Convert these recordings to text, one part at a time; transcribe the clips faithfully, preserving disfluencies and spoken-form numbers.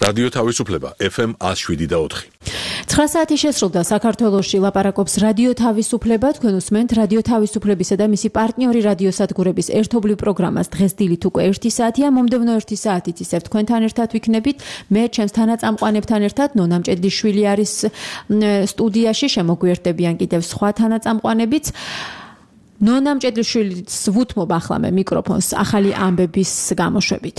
რადიო თავისუფლება ეფ ემ ათს შვიდი და ოთხი. ცხრა საათი შესრულდა საქართველოში ლაპარაკობს რადიო თავისუფლება. თქვენ უსმენთ რადიო თავისუფლებისა და მისი პარტნიორი რადიოსადგურების ერთობლივ პროგრამას. დღეს დილით უკვე ერთი საათია. მომდევნო ერთი საათით ისევ თქვენთან ერთად ვიქნებით. მე ჩემს თანაწამყვანებთან ერთად ნონა მჭედლიშვილი არის სტუდიაში. შემოგვიერთდებიან კიდევ სხვა თანაწამყვანებიც. ნონა მჭედლიშვილის ვუთმობ ახლა მე მიკროფონს ახალი ამბების გამოშვებით.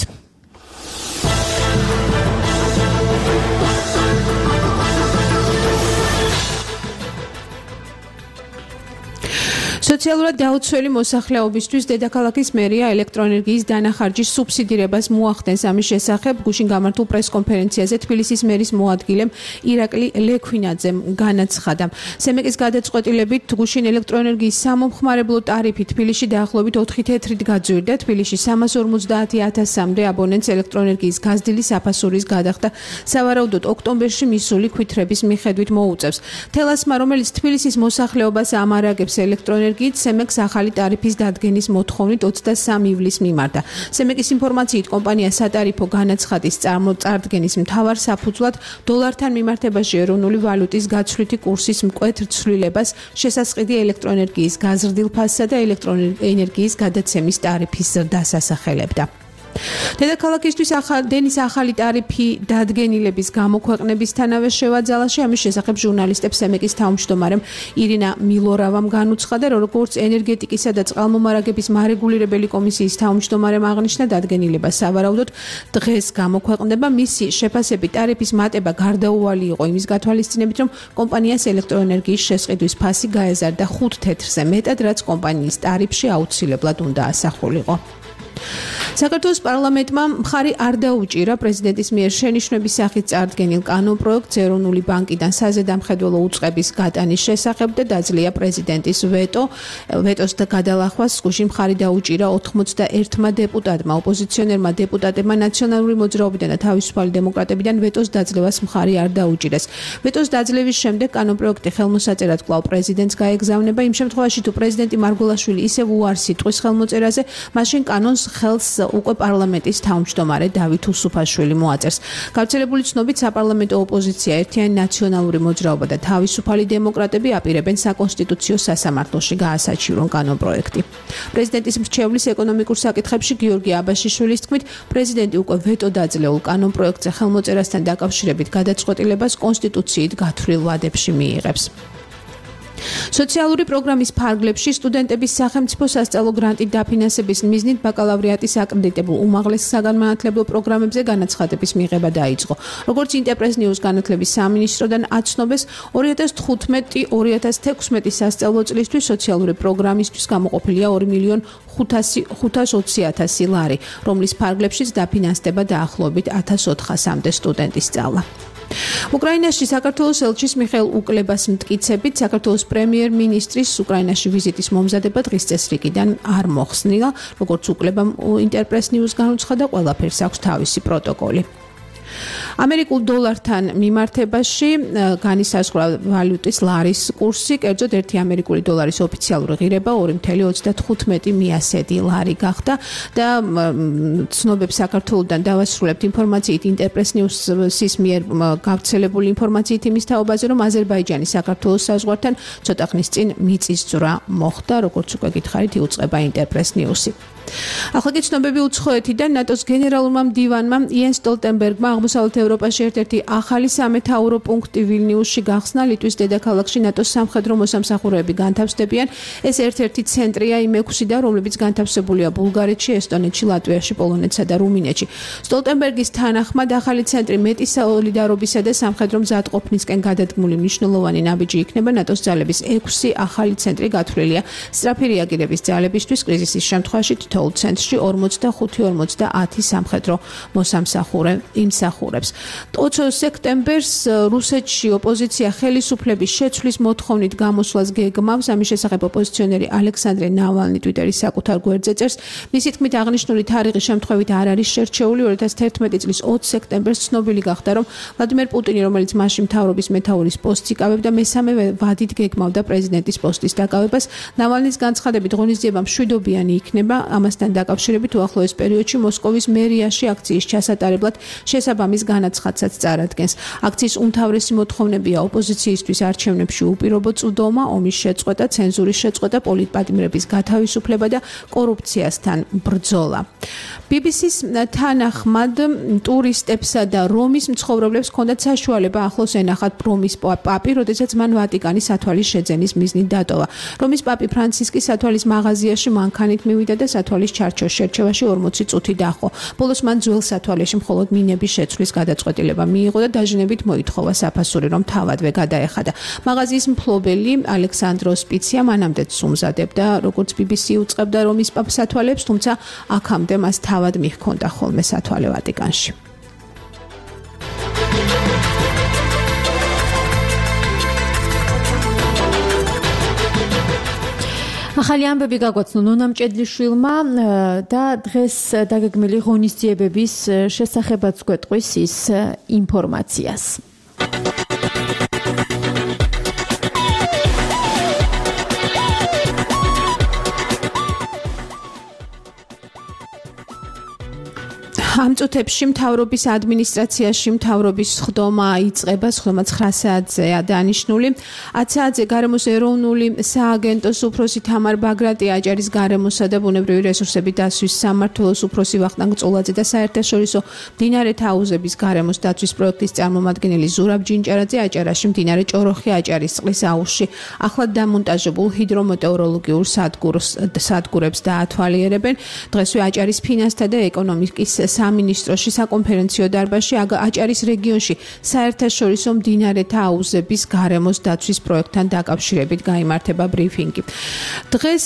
სოციალურად დაუცველი მოსახლეობისთვის დედაქალაქის მერია ელექტროენერგიის დანახარჯის სუბსიდირებას მოახდენს. ამის შესახებ გუშინ გამართულ პრესკონფერენციაზე თბილისის მერის მოადგილემ ირაკლი ლექვინაძემ განაცხადა. სემეკის გადაწყვეტილებით გუშინ ელექტროენერგიის სამომხმარებლო ტარიფი თბილისში დაახლოებით ოთხი თეთრით გაძვირდა. თბილისში სამას ორმოცდაათი ათასამდე აბონენტს ელექტროენერგიის გაზრდილი საფასურის გადახდა სავარაუდოდ ოქტომბერში მისული ქვითრების მიხედვით მოუწევს. თელასმა, რომელიც თბილისის მოსახლეობას ამარაგებს ელექტროენერგიის სემეკს ახალი ტარიფის დადგენის მოთხოვნით ოცდასამი ივლისს მიმართა. სემეკის ინფორმაციით კომპანია სატარიფო განაცხადის წარმოწარდგენის მთავარ საფუძვლად დოლართან მიმართებაში ეროვნული ვალუტის გაცვლითი კურსის მკვეთრ ცვლილებას, შესაწყდი ელექტროენერგიის გაზრდილ ფასსა და ელექტროენერგიის გადაცემის ტარიფის ზრდას ასახელებდა. დედაქალაქისთვის დენის ახალი ტარიფი დადგენილების გამოქვეყნებისთანავე შევაძალაში. ამის შესახებ ჟურნალისტებს სემეკის თავმჯდომარემ ირინა მილორავამ განუცხადა, რომ როგორც ენერგეტიკისა და წყალმომარაგების მარეგულირებელი კომისიის თავმჯდომარემ აღნიშნა, დადგენილება სავარაუდოდ დღეს გამოქვეყნდება. მისი შეფასებით ტარიფის მატება გარდაუვალი იყო იმის გათვალისწინებით, რომ კომპანიას ელექტროენერგიის შესყიდვის ფასი გაეზარდა ხუთ თეთრზე მეტად, რაც კომპანიის ტარიფში აუცილებლად უნდა ასახულიყო. საქართველოს პარლამენტმა მხარი არ დაუჭირა პრეზიდენტის მიერ შენიშვნების სახით წარდგენილ კანონპროექტს ეროვნული ბანკიდან საზედამხედველო უწყების გატანის შესახებ და დაძლია პრეზიდენტის ვეტო. ვეტოს გადალახვას გუშინ მხარი დაუჭირა ოთხმოცდაერთმა დეპუტატმა. ოპოზიციონერმა დეპუტატებმა ნაციონალური მოძრაობიდან და თავისუფალი დემოკრატებიდან ვეტოს დაძლევას მხარი არ დაუჭირეს. ვეტოს დაძლევის შემდეგ კანონპროექტი ხელმოსაწერად კვლავ პრეზიდენტს გაეგზავნება. იმ შემთხვევაში თუ პრეზიდენტი მარგველაშვილი ისევ უარს იტყვის ხელმოწერაზე, მაშინ კანონს ხელს უკვე პარლამენტის თავმჯდომარე დავით უსუფაშვილი მოაწერს. გავრცელებული ცნობით საპარლამენტო ოპოზიცია, ერთიანი ნაციონალური მოძრაობა და თავისუფალი დემოკრატები აპირებენ საკონსტიტუციო სასამართლოში გაასაჩივრონ კანონპროექტი. პრეზიდენტის მრჩევლის ეკონომიკურ საკითხებში გიორგი აბაშიშვილის თქმით, პრეზიდენტი უკვე ვეტო დაძლეულ კანონპროექტზე ხელმოწერასთან დაკავშირებით გადაწყვეტილებას კონსტიტუციით გათვლილ ვადებში მიიღებს. სოციალური პროგრამის ფარგლებში სტუდენტების სახელმწიფო სასწავლო გრანტით დაფინანსების მიზნით ბაკალავრიატის აკრედიტებულ უმაღლეს საგანმანათლებლო პროგრამებზე განაცხადების მიღება დაიწყო. როგორც ინტერპრეს ნიუს განათლების სამინისტროდან აცნობეს, ორი ათას თხუთმეტი ორი ათას თექვსმეტი სასწავლო წლისთვის სოციალური პროგრამისთვის გამოყოფილია ორი მილიონი ხუთას ოცი ათასი ლარი, რომლის ფარგლებშიც დაფინანსდება დაახლოებით ათას ოთხასამდე სტუდენტის სწავლა. უკრაინაში საქართველოს ელჩის მიხეილ უკლებას მტკიცებით, საქართველოს პრემიერ-მინისტრის უკრაინაში ვიზიტის მომზადება დღის წესრიგიდან არ მოხსნილა. როგორც უკლებამ ინტერპრეს ნიუს განუცხადა, ყველაფერს აქვს თავისი პროტოკოლი. ამერიკულ დოლართან მიმართებაში განისაზღვრა ვალუტის ლარის კურსი, კერძოდ ერთი ამერიკული დოლარის ოფიციალური ღირება ორი მცდარი ოცდათხუთმეტი მიასედი ლარი გახდა და ცნობებს საქართველოსთან დავასრულებთ ინფორმაციით ინტერპრეს ნიუსის მიერ გავრცელებული ინფორმაციით იმის თაობაზე, რომ აზერბაიჯანი საქართველოს საზღვართან ცოტა ხნის წინ მიწისძვრა მოხდა, როგორც უკვე გითხარით, იუწყება ინტერპრეს ნიუსი. ახლა კი ცნობები უცხოეთიდან. ნატოს გენერალურმა მდივანმა იენს სტოლტენბერგმა აღმოსავლეთ ევროპაში ერთ-ერთი ახალი სამეთაურო პუნქტი ვილნიუსში გახსნა. ლიტვის დედაქალაქში ნატოს სამხედრო მოსამსახურეები განთავსდებიან. ეს ერთ-ერთი ცენტრია იმ ექვსიდან, რომლებიც განთავსებულია ბულგარეთში, ესტონეთში, ლატვიაში, პოლონეთსა და რუმინეთში. სტოლტენბერგის თანახმად ახალი ცენტრი მეტი სოლიდარობისა და სამხედრო მზადყოფნისკენ გადადგმული მნიშვნელოვანი ნაბიჯი იქნება. ნატოს ძალების ექვსი ახალი ცენტრი გათვლილია სწრაფი რეაგირების ძალებისთვის კრიზისის შემთხვევაში თითოეულ ცენტრში ორმოცდახუთი ორმოცდაათი სამხედრო მოსამსახურე იმსახურებს. ოცი სექტემბერს რუსეთში ოპოზიცია ხელისუფლების შეცვლის მოთხოვნით გამოსვლას გეგმავს. ამის შესახებ ოპოზიციონერი ალექსანდრე ნავალნი ტვიტერის საკუთარ გვერდზე წერს. მისი თქმით, აღნიშნული თარიღი შემთხვევით არ არის შერჩეული. ორი ათას თერთმეტი წლის ოცი სექტემბერს ცნობილი გახდა, რომ ვლადიმერ პუტინი, რომელიც მასში მთავრობის მეთაურის პოსტს იკავებდა, მესამე ვადით გეგმავდა პრეზიდენტის პოსტის დაკავებას. ნავალნის განცხადებით, ღონისძიება მშვიდობიანი იქნება. ამასთან დაკავშირებით უახლოეს პერიოდში მოსკოვის მერიაში აქციის ჩასატარებლად შესაბამისი პრესამ ამის განაცხადსაც წარადგენს. აქციის უმთავრესი მოთხოვნებია ოპოზიციისთვის არჩევნებში უპირობო წვდომა, ომის შეწყვეტა, ცენზურის შეწყვეტა, პოლიტპატიმრების გათავისუფლება და კორუფციასთან ბრძოლა. ბი ბი სის თანახმად ტურისტებსა და რომის მცხოვრებლებს ჰქონდათ საშუალება ახლოს ენახათ რომის პაპი, როდესაც მან ვატიკანის სათვალის შეძენის მიზნით დატოვა. რომის პაპი ფრანცისკი სათვალის მაღაზიაში მანქანით მივიდა და სათვალის ჩარჩოს შერჩევაში ორმოცი წუთი დაჰყო. ბოლოს მან ძველ სათვალეში მხოლოდ მინების შეცვლის გადაწყვეტილება მიიღო და დაჟინებით მოითხოვა საფასური, რომ თავადვე გადაეხადა. მაღაზიის მფლობელი ალექსანდრო სპიცია მანამდეც უმზადებდა, როგორც ბი ბი სი უწყებდა რომის პაპს სათვალებს, თუმცა აქამდე მას თავად მიჰქონდა ხოლმე სათვალე ვატიკანში. ახალი ამბები გაგვაცნო ნონა მჭედლიშვილმა და დღეს დაგეგმილი ღონისძიებების შესახებაც გვეტყვის ის ინფორმაციას. ამ წუთებში მთავრობის ადმინისტრაციაში მთავრობის სხდომა იწყება, სხდომა ცხრა საათზეა დანიშნული. ათ საათზე გარემოს ეროვნული სააგენტოს უფროსი თამარ ბაგრატი, აჭარის გარემოსა და ბუნებრივი რესურსების დაცვის სამმართველოს უფროსი ვახტანგ წულაძე და საერთაშორისო მდინარეთა აუზების გარემოს დაცვის პროექტის წარმომადგენელი ზურაბ ჯინჭარაძე აჭარაში მდინარე ჭოროხი აჭარის წყლის აუზში ახლად დამონტაჟებულ ჰიდრომეტეოროლოგიურ სადგურებს დაათვალიერებენ. დღესვე აჭარის ფინანსთა და ეკონომიკის სამინისტროში საკონფერენციო დარბაზში აჭარის რეგიონში საერთაშორისო მდინარეთა აუზების გარემოს დაცვის პროექტთან დაკავშირებით გაიმართება ბრიფინგი. დღეს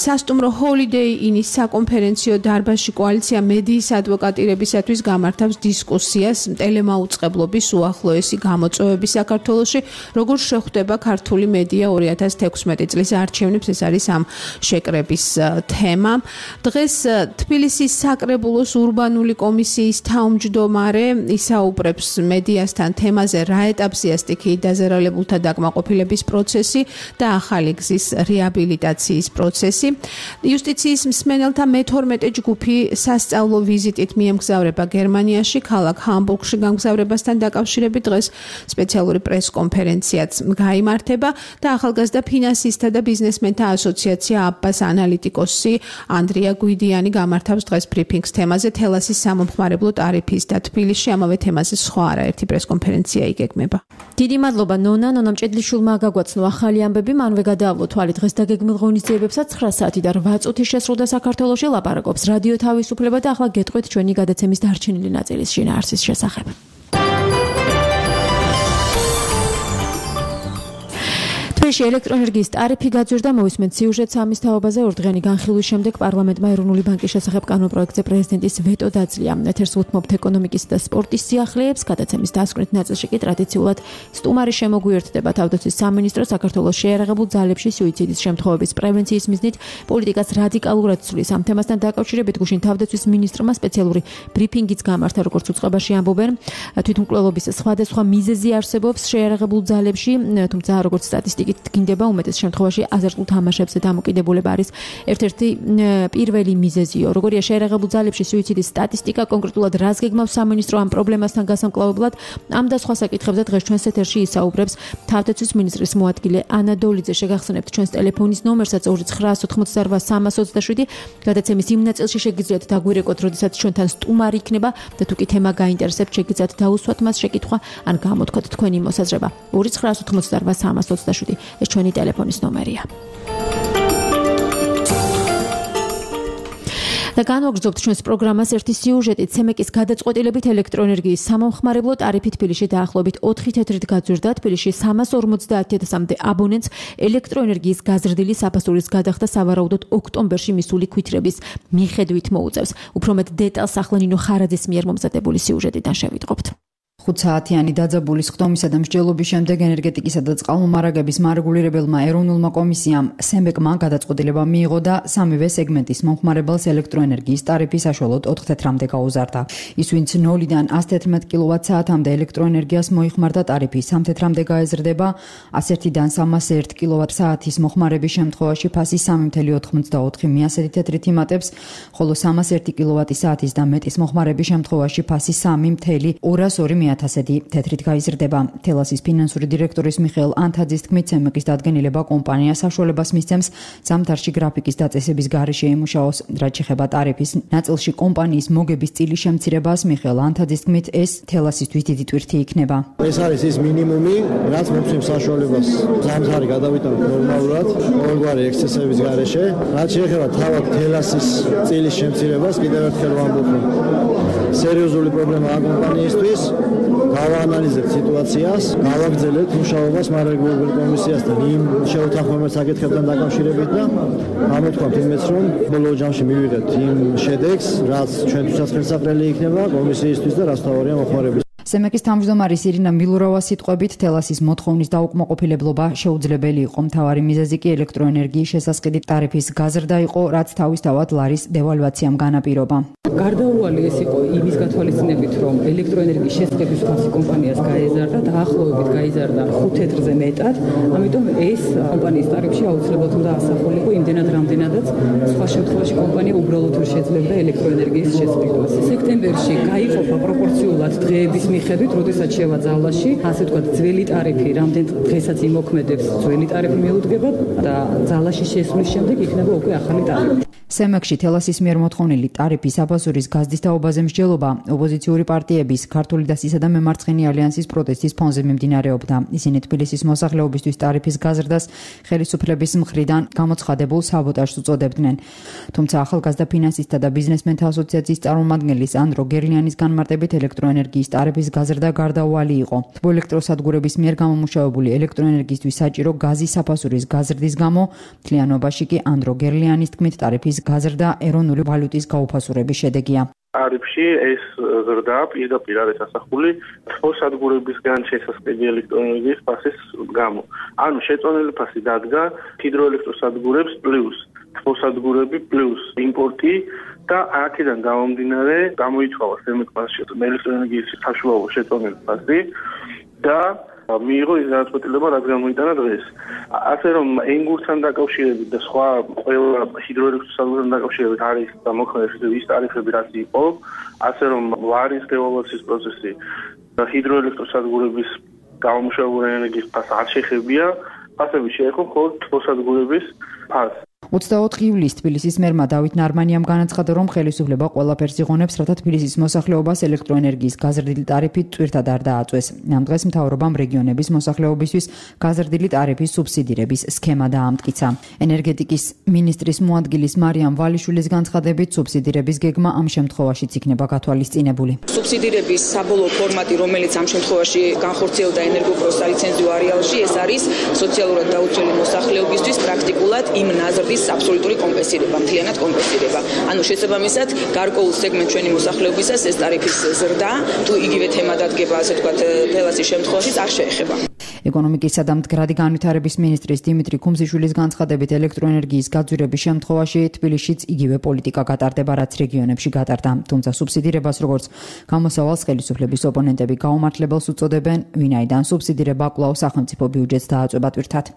სასტუმრო ჰოლიდეი ინის საკონფერენციო დარბაზში კოალიცია მედიის ადვოკატირებისათვის გამართავს დისკუსიას ტელემაუწყებლობის უახლოესი გამოწვევები საქართველოში, როგორ შეხვდება ქართული მედია ორი ათას თექვსმეტი წლის არჩევნებს, ეს არის ამ შეკრების თემა. დღეს თბილისის საკრებულოს ურბანული კომისიის თავმჯდომარე ისაუბრებს მედიასთან თემაზე, რა ეტაპზეა სტიქიით დაზარალებულთა დაკმაყოფილების პროცესი და ახალი გზის რეაბილიტაციის პროცესი. იუსტიციის მსმენელთა მეთორმეტე ჯგუფი სასწავლო ვიზიტით მიემგზავრება გერმანიაში, ქალაქ ჰამბურგში გამგზავრებასთან დაკავშირებით დღეს სპეციალური პრესკონფერენციაც გაიმართება და ახალგაზრდა ფინანსისტთა და ბიზნესმენთა ასოციაცია აბბას ანალიტიკოსი ანდრია გვიდიანი გამართავს დღეს ბრიფინგს თემაზე თელასის სამომხმარებლო ტარიფის და თბილისში ამავე თემაზე სხვა არაერთი პრესკონფერენცია იგეგმება. დიდი მადლობა ნონა, ნონა მჭედლიშვილმა გაგვაცნო ახალი ამბები, მანვე გადაავლო თვალი დღეს დაგეგმილ ღონისძიებებსაც ცხრა საათი და რვა წუთი შესრულდა საქართველოში, ლაპარაკობს რადიო თავისუფლება და ახლა გეტყვით ჩვენი გადაცემის დარჩენილი ნაწილის შინაარსის შესახებ. თბილისში ელექტროენერგიის ტარიფი გაძვირდა, მოვისმენთ სიუჟეტს ამის თაობაზე. ორდღიანი განხილვის შემდეგ პარლამენტმა ეროვნული ბანკის შესახებ კანონპროექტზე პრეზიდენტის ვეტო დაძლია. ეთერს უთმობთ ეკონომიკის და სპორტის სიახლეებს. გადაცემის დასკვნით ნაწილში კი ტრადიციულად სტუმარი შემოგვიერთდება თავდაცვის სამინისტრო საქართველოს შეიარაღებულ ძალებში სუიციდის შემთხვევების პრევენციის მიზნით პოლიტიკას რადიკალურად ცვლის. ამ თემასთან დაკავშირებით გუშინ თავდაცვის მინისტრმა სპეციალური ბრიფინგიც გამართა, როგორც უწყებაში ამბობენ. თვითმკვლელობის სხვადასხვა მიზეზი არსებობს შეიარაღებულ ძალებში, თუმცა როგორც სტატისტიკით გინდება უმეტეს შემთხვევაში აზარტულ თამაშებზე დამოკიდებულება არის ერთ-ერთი პირველი მიზეზიო. როგორია შეიარაღებულ ძალებში სუიციდის სტატისტიკა, კონკრეტულად რას გეგმავს სამინისტრო ამ პრობლემასთან გასამკლავებლად, ამ და სხვა საკითხებზე დღეს ჩვენს ეთერში ისაუბრებს თავდაცვის მინისტრის მოადგილე ანა დოლიძე. შეგახსენებთ ჩვენს ტელეფონის ნომერსაც ორი ცხრა ოთხმოცდაოთხ სამას ოცდაშვიდი. გადაცემის იმ ნაწილში შეგიძლიათ დაგვირეკოთ, როდესაც ჩვენთან სტუმარი იქნება და თუ კი თემა გაინტერესებთ, შეგიძლიათ დაუსვათ მას შეკითხვა ან გამოთქვათ თქვენი მოსაზრება. ორი ცხრა ოთხმოცდაოთხ სამას ოცდაშვიდი. ეს ჩვენი ტელეფონის ნომერია. და განვაგრძობთ ჩვენს პროგრამას ერთი სიუჟეტით. ცემეკის გადაწყვეტილებით ელექტროენერგიის სამომხმარებლო ტარიფი თბილისში დაახლოებით ოთხი თეთრით გაძვირდა. თბილისში სამას ორმოცდაათი ათასამდე აბონენტს ელექტროენერგიის გაზრდილი საფასურის გადახდა სავარაუდოდ ოქტომბერში მისული ქვითრების მიხედვით მოუწევს. უფრო მეტ დეტალს ახლა ნინო ხარაძის მიერ მომზადებული სიუჟეტიდან შევიტყობთ. ხუთსაათიანი დაძაბულის ხდომისა და მსჯელობის შემდეგ ენერგეტიკისა და წყალმომარაგების მარეგულირებელმა ეროვნულმა კომისიამ სემბეკმა გადაწყვეტილება მიიღო და სამივე სეგმენტის მომხმარებელს ელექტროენერგიის ტარიფი საშუალოდ ოთხ თეთრამდე გაუზარდა. ის ვინც ნოლიდან ას თერთმეტ კილოვატ-საათამდე ელექტროენერგიას მოიხმარდა ტარიფი სამ თეთრამდე გაეზრდება, ას ერთიდან სამას ერთ კილოვატ-საათის მოხმარების შემთხვევაში ფასი სამი ათეული ოცდაოთხი მიასეთი თეთრით იმატებს, ხოლო სამას ერთი კილოვატ-საათის და მეტის მოხმარების შემთხვევაში ფასი სამი ათეული ორას ორი ათასედი თეთრით გაიზრდება. თელასის ფინანსური დირექტორის მიხეილ ანთაძის თქმით, სემეკის დადგენილება კომპანიას საშუალებას მისცემს ზამთარში გრაფიკის დაწესების გარეშე ემუშაოს. რაც შეეხება ტარიფის ნაწილში კომპანიის მოგების წილის შემცირებას, მიხეილ ანთაძის თქმით, ეს თელასისთვის დიდი ტვირთი იქნება. ეს არის ის მინიმუმი, რაც მოგვცემს საშუალებას ზამთარი გადავიტანოთ ნორმალურად, ყოველგვარი ექსცესების გარეშე. რაც შეეხება თავად თელასის წილის შემცირებას, კიდევ ერთხელ ვამბობ, რომ სერიოზული პრობლემაა კომპანიისთვის. გავაანალიზებთ სიტუაციას, გავაგრძელებთ მუშაობას მარეგულირებელ კომისიასთან იმ შეუთანხმოებებს საკითხებთან დაკავშირებით და ამოთქვამთ იმეც, რომ ბოლო ჯამში მივიღებთ იმ შედეგს, რაც ჩვენთვისაც ხელსაყრელი იქნება კომისიისთვის და რაც თავარია მოხმარების. სემეკის თავმჯდომარის ირინა მილურავას სიტყვებით, თელასის მოთხოვნის დაუკმაყოფილებლობა შეუძლებელი იყო. მთავარი მიზეზი კი ელექტროენერგიის შესასყიდი ტარიფის გაზრდა იყო, რაც თავისთავად ლარის დევალვაციამ განაპირობა. გარდაუვალი ეს იყო იმის გათვალისწინებით, რომ ელექტროენერგიის შესყიდვის ფასი კომპანიას გაეზარდა, დაახლოებით გაიზარდა ხუთ თეთრზე მეტად, ამიტომ ეს კომპანიის ტარიფში აუცილებლად უნდა ასახულიყო იმდენად, რამდენადაც სხვა შემთხვევაში კომპანია უბრალოდ ვერ შეძლებდა ელექტროენერგიის შესყიდვას. სექტემბერში გაიყოფა პროპორციულად დღეების მიხედვით, როდესაც შევა ძალაში, ასე ვთქვათ, ძველი ტარიფი, რამდენ დღესაც იმოქმედებს, ძველი ტარიფი მიუდგება და ძალაში შესვლის შემდეგ იქნება უკვე ახალი ტარიფი. სემეკში თელასის მიერ მოთხოვნილი ტარიფის აბაზურის გაზდის თაობაზე მსჯელობა ოპოზიციური პარტიების, ქართული დასისა და მემარცხენე ალიანსის პროტესტის ფონზე მიმდინარეობდა. ისინი თბილისის მოსახლეობისთვის ტარიფის გაზრდას ხელისუფლების მხრიდან გამოცხადებულ საბოტაჟს უწოდებდნენ. თუმცა ახალგაზრდა ფინანსისტთა და ბიზნესმენთა ასოციაციის წარმომადგენლის ანდრო გერლიანის განმარტებით ელექტროენერგიის ტარიფის გაზრდა გარდაუვალი იყო. თბოელექტროსადგურების მიერ გამომუშავებული ელექტროენერგიისთვის საჭირო გაზის საფასურის გაზრდის გამო მთლიანობაში კი ანდრო გერლიანის თქმით ტარიფის გაზრდა ეროვნული ვალუტის გაუფასურების შედეგია. ტარიფში ეს ზრდა პირდაპირ არის ასახული თბოსადგურებისგან შესასყიდი ელექტროენერგიის ფასის გამო. ანუ შეწონილი ფასი დადგა ჰიდროელექტროსადგურებს პლუს თბოსადგურები პლუს იმპორტი და აქედან გამომდინარე გამოითხოვა სემეკმა ელექტროენერგიის საშუალო შეწონილი ფასი და მიიღო ის გადაწყვეტილება, რაც გამოიტანა დღეს. ასე რომ ენგურთან დაკავშირებით და სხვა ყველა ჰიდროელექტროსადგურთან დაკავშირებით არის მოქმედების ის ტარიფები, რაც იყო, ასე რომ ლარის დევალვაციის პროცესი და ჰიდროელექტროსადგურების გამომუშავებული ენერგიის ფასს არ შეეხებია, ფასები შეეხო მხოლოდ თბოსადგურების ფასს. ოცდაოთხ ივლისს თბილისის მერმა დავით ნარმანიამ განაცხადა, რომ ხელისუფლება ყველაფერს იღონებს, რათა თბილისის მოსახლეობას ელექტროენერგიის გაზრდილი ტარიფით ტვირთად არ დააწვეს. ამ დღეს მთავრობამ რეგიონების მოსახლეობისთვის გაზრდილი ტარიფის სუბსიდირების სქემა დაამტკიცა. ენერგეტიკის მინისტრის მოადგილის მარიამ ვალიშვილის განცხადებით, სუბსიდირების გეგმა ამ შემთხვევაშიც იქნება გათვალისწინებული. სუბსიდირების საბოლოო ფორმატი, რომელიც ამ შემთხვევაში განხორციელდა ენერგოპროს სალიცენზიო არეალში, ეს არის სოციალურად დაუცველი მოსახლეობისთვის პრაქტიკულად იმ ნაზრდის აბსოლუტური კომპენსირება, მთლიანად კომპენსირება. ანუ შესაბამისად, გარკვეულ სეგმენტ ჩვენი მოსახლეობისას ეს ტარიფის ზრდა, თუ იგივე თემა დადგება, ასე ვთქვათ, თელასის შემთხვევაში არ შეეხება. ეკონომიკისა და მდგრადი განვითარების მინისტრის დიმიტრი ქუმზიშვილის განცხადებით, ელექტროენერგიის გაძვირების შემთხვევაში თბილისშიც იგივე პოლიტიკა გატარდება, რაც რეგიონებში გატარდა. თუმცა სუბსიდირებას, როგორც გამოსავალს ხელისუფლების ოპონენტები გაუმართლებელს უწოდებენ, ვინაიდან სუბსიდირება კვლავ სახელმწიფო ბიუჯეტს დააწვება ტვირთად.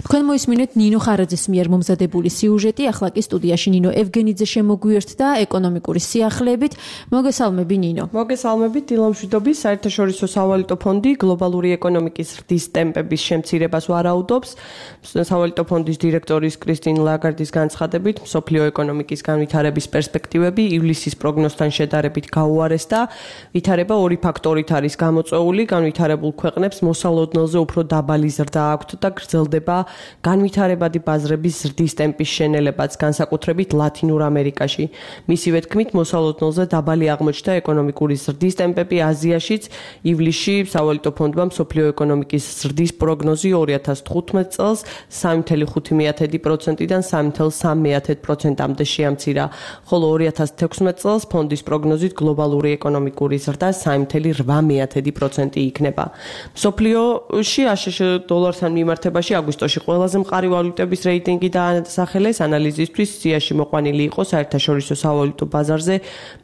თქვენ მოისმინეთ ნინო ხარაძის მიერ მომზადებული სიუჟეტი, ახლა კი სტუდიაში ნინო ევგენიძე შემოგვიერთდა ეკონომიკური სიახლეებით. მოგესალმები ნინო. მოგესალმებით. დილამშვიდობის საერთაშორისო სავალუტო ფონდი გლობალური ეკონომიკის ზრდის ტემპების შემცირებას ვარაუდობს. სავალუტო ფონდის დირექტორის კრისტინ ლაგარდის განცხადებით, მსოფლიო ეკონომიკის განვითარების პერსპექტივები ივლისის პროგნოზთან შედარებით გაუარესდა. ვითარება ორი ფაქტორით არის გამოწვეული, განვითარებულ ქვეყნებს მოსალოდნელზე უფრო დაბალი ზრდა აქვთ და გრძელდება გრძელდება განვითარებადი ბაზრების ზრდის ტემპის შენელებაც, განსაკუთრებით ლათინურ ამერიკაში. მისივე თქმით, მოსალოდნელზე დაბალი აღმოჩნდა ეკონომიკური ზრდის ტემპები აზიაშიც. ივლისში სავალუტო ფონდმა მსოფლიო ეკონომიკის ზრდის პროგნოზი ორი ათას თხუთმეტ წელს სამი ათას ხუთი პროცენტიდან სამი ათას სამი პროცენტამდე შეამცირა, ხოლო ორი ათას თექვსმეტ წელს ფონდის პროგნოზით გლობალური ეკონომიკური ზრდა სამი ათას რვამე პროცენტი იქნება. მსოფლიოში აშშ დოლართან მიმართებაში აგვისტოში ყველაზე მყარი ვალუტების რეიტინგი დაასახელეს ანალიზისთვის. სიაში მოყვანილი იყო საერთაშორისო სავალუტო ბაზარზე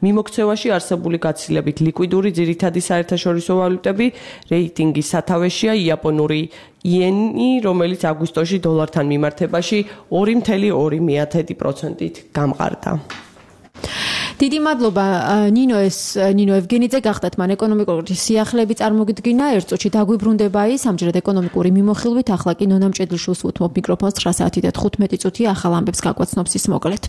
მიმოქცევაში არსებული გაცილებით ლიკვიდური ძირითადი საერთაშორისო ვალუტები. რეიტინგის სათავეშია იაპონური იენი, რომელიც აგვისტოში დოლართან მიმართებაში ორი ათას ორი პროცენტით გამყარდა. დიდი მადლობა ნინო ეს ნინო ევგენიძე გახდათ მან ეკონომიკური სიახლეები წარმოგიდგინა ერთ წუთში დაგვიბრუნდება ის ამჯერად ეკონომიკური მიმოხილვით ახლა კი ნონა მჭედლიშვილს უთმობ მიკროფონს ცხრა საათი და თხუთმეტი წუთი ახალ ამბებს გაგვაცნობს ის მოკლედ.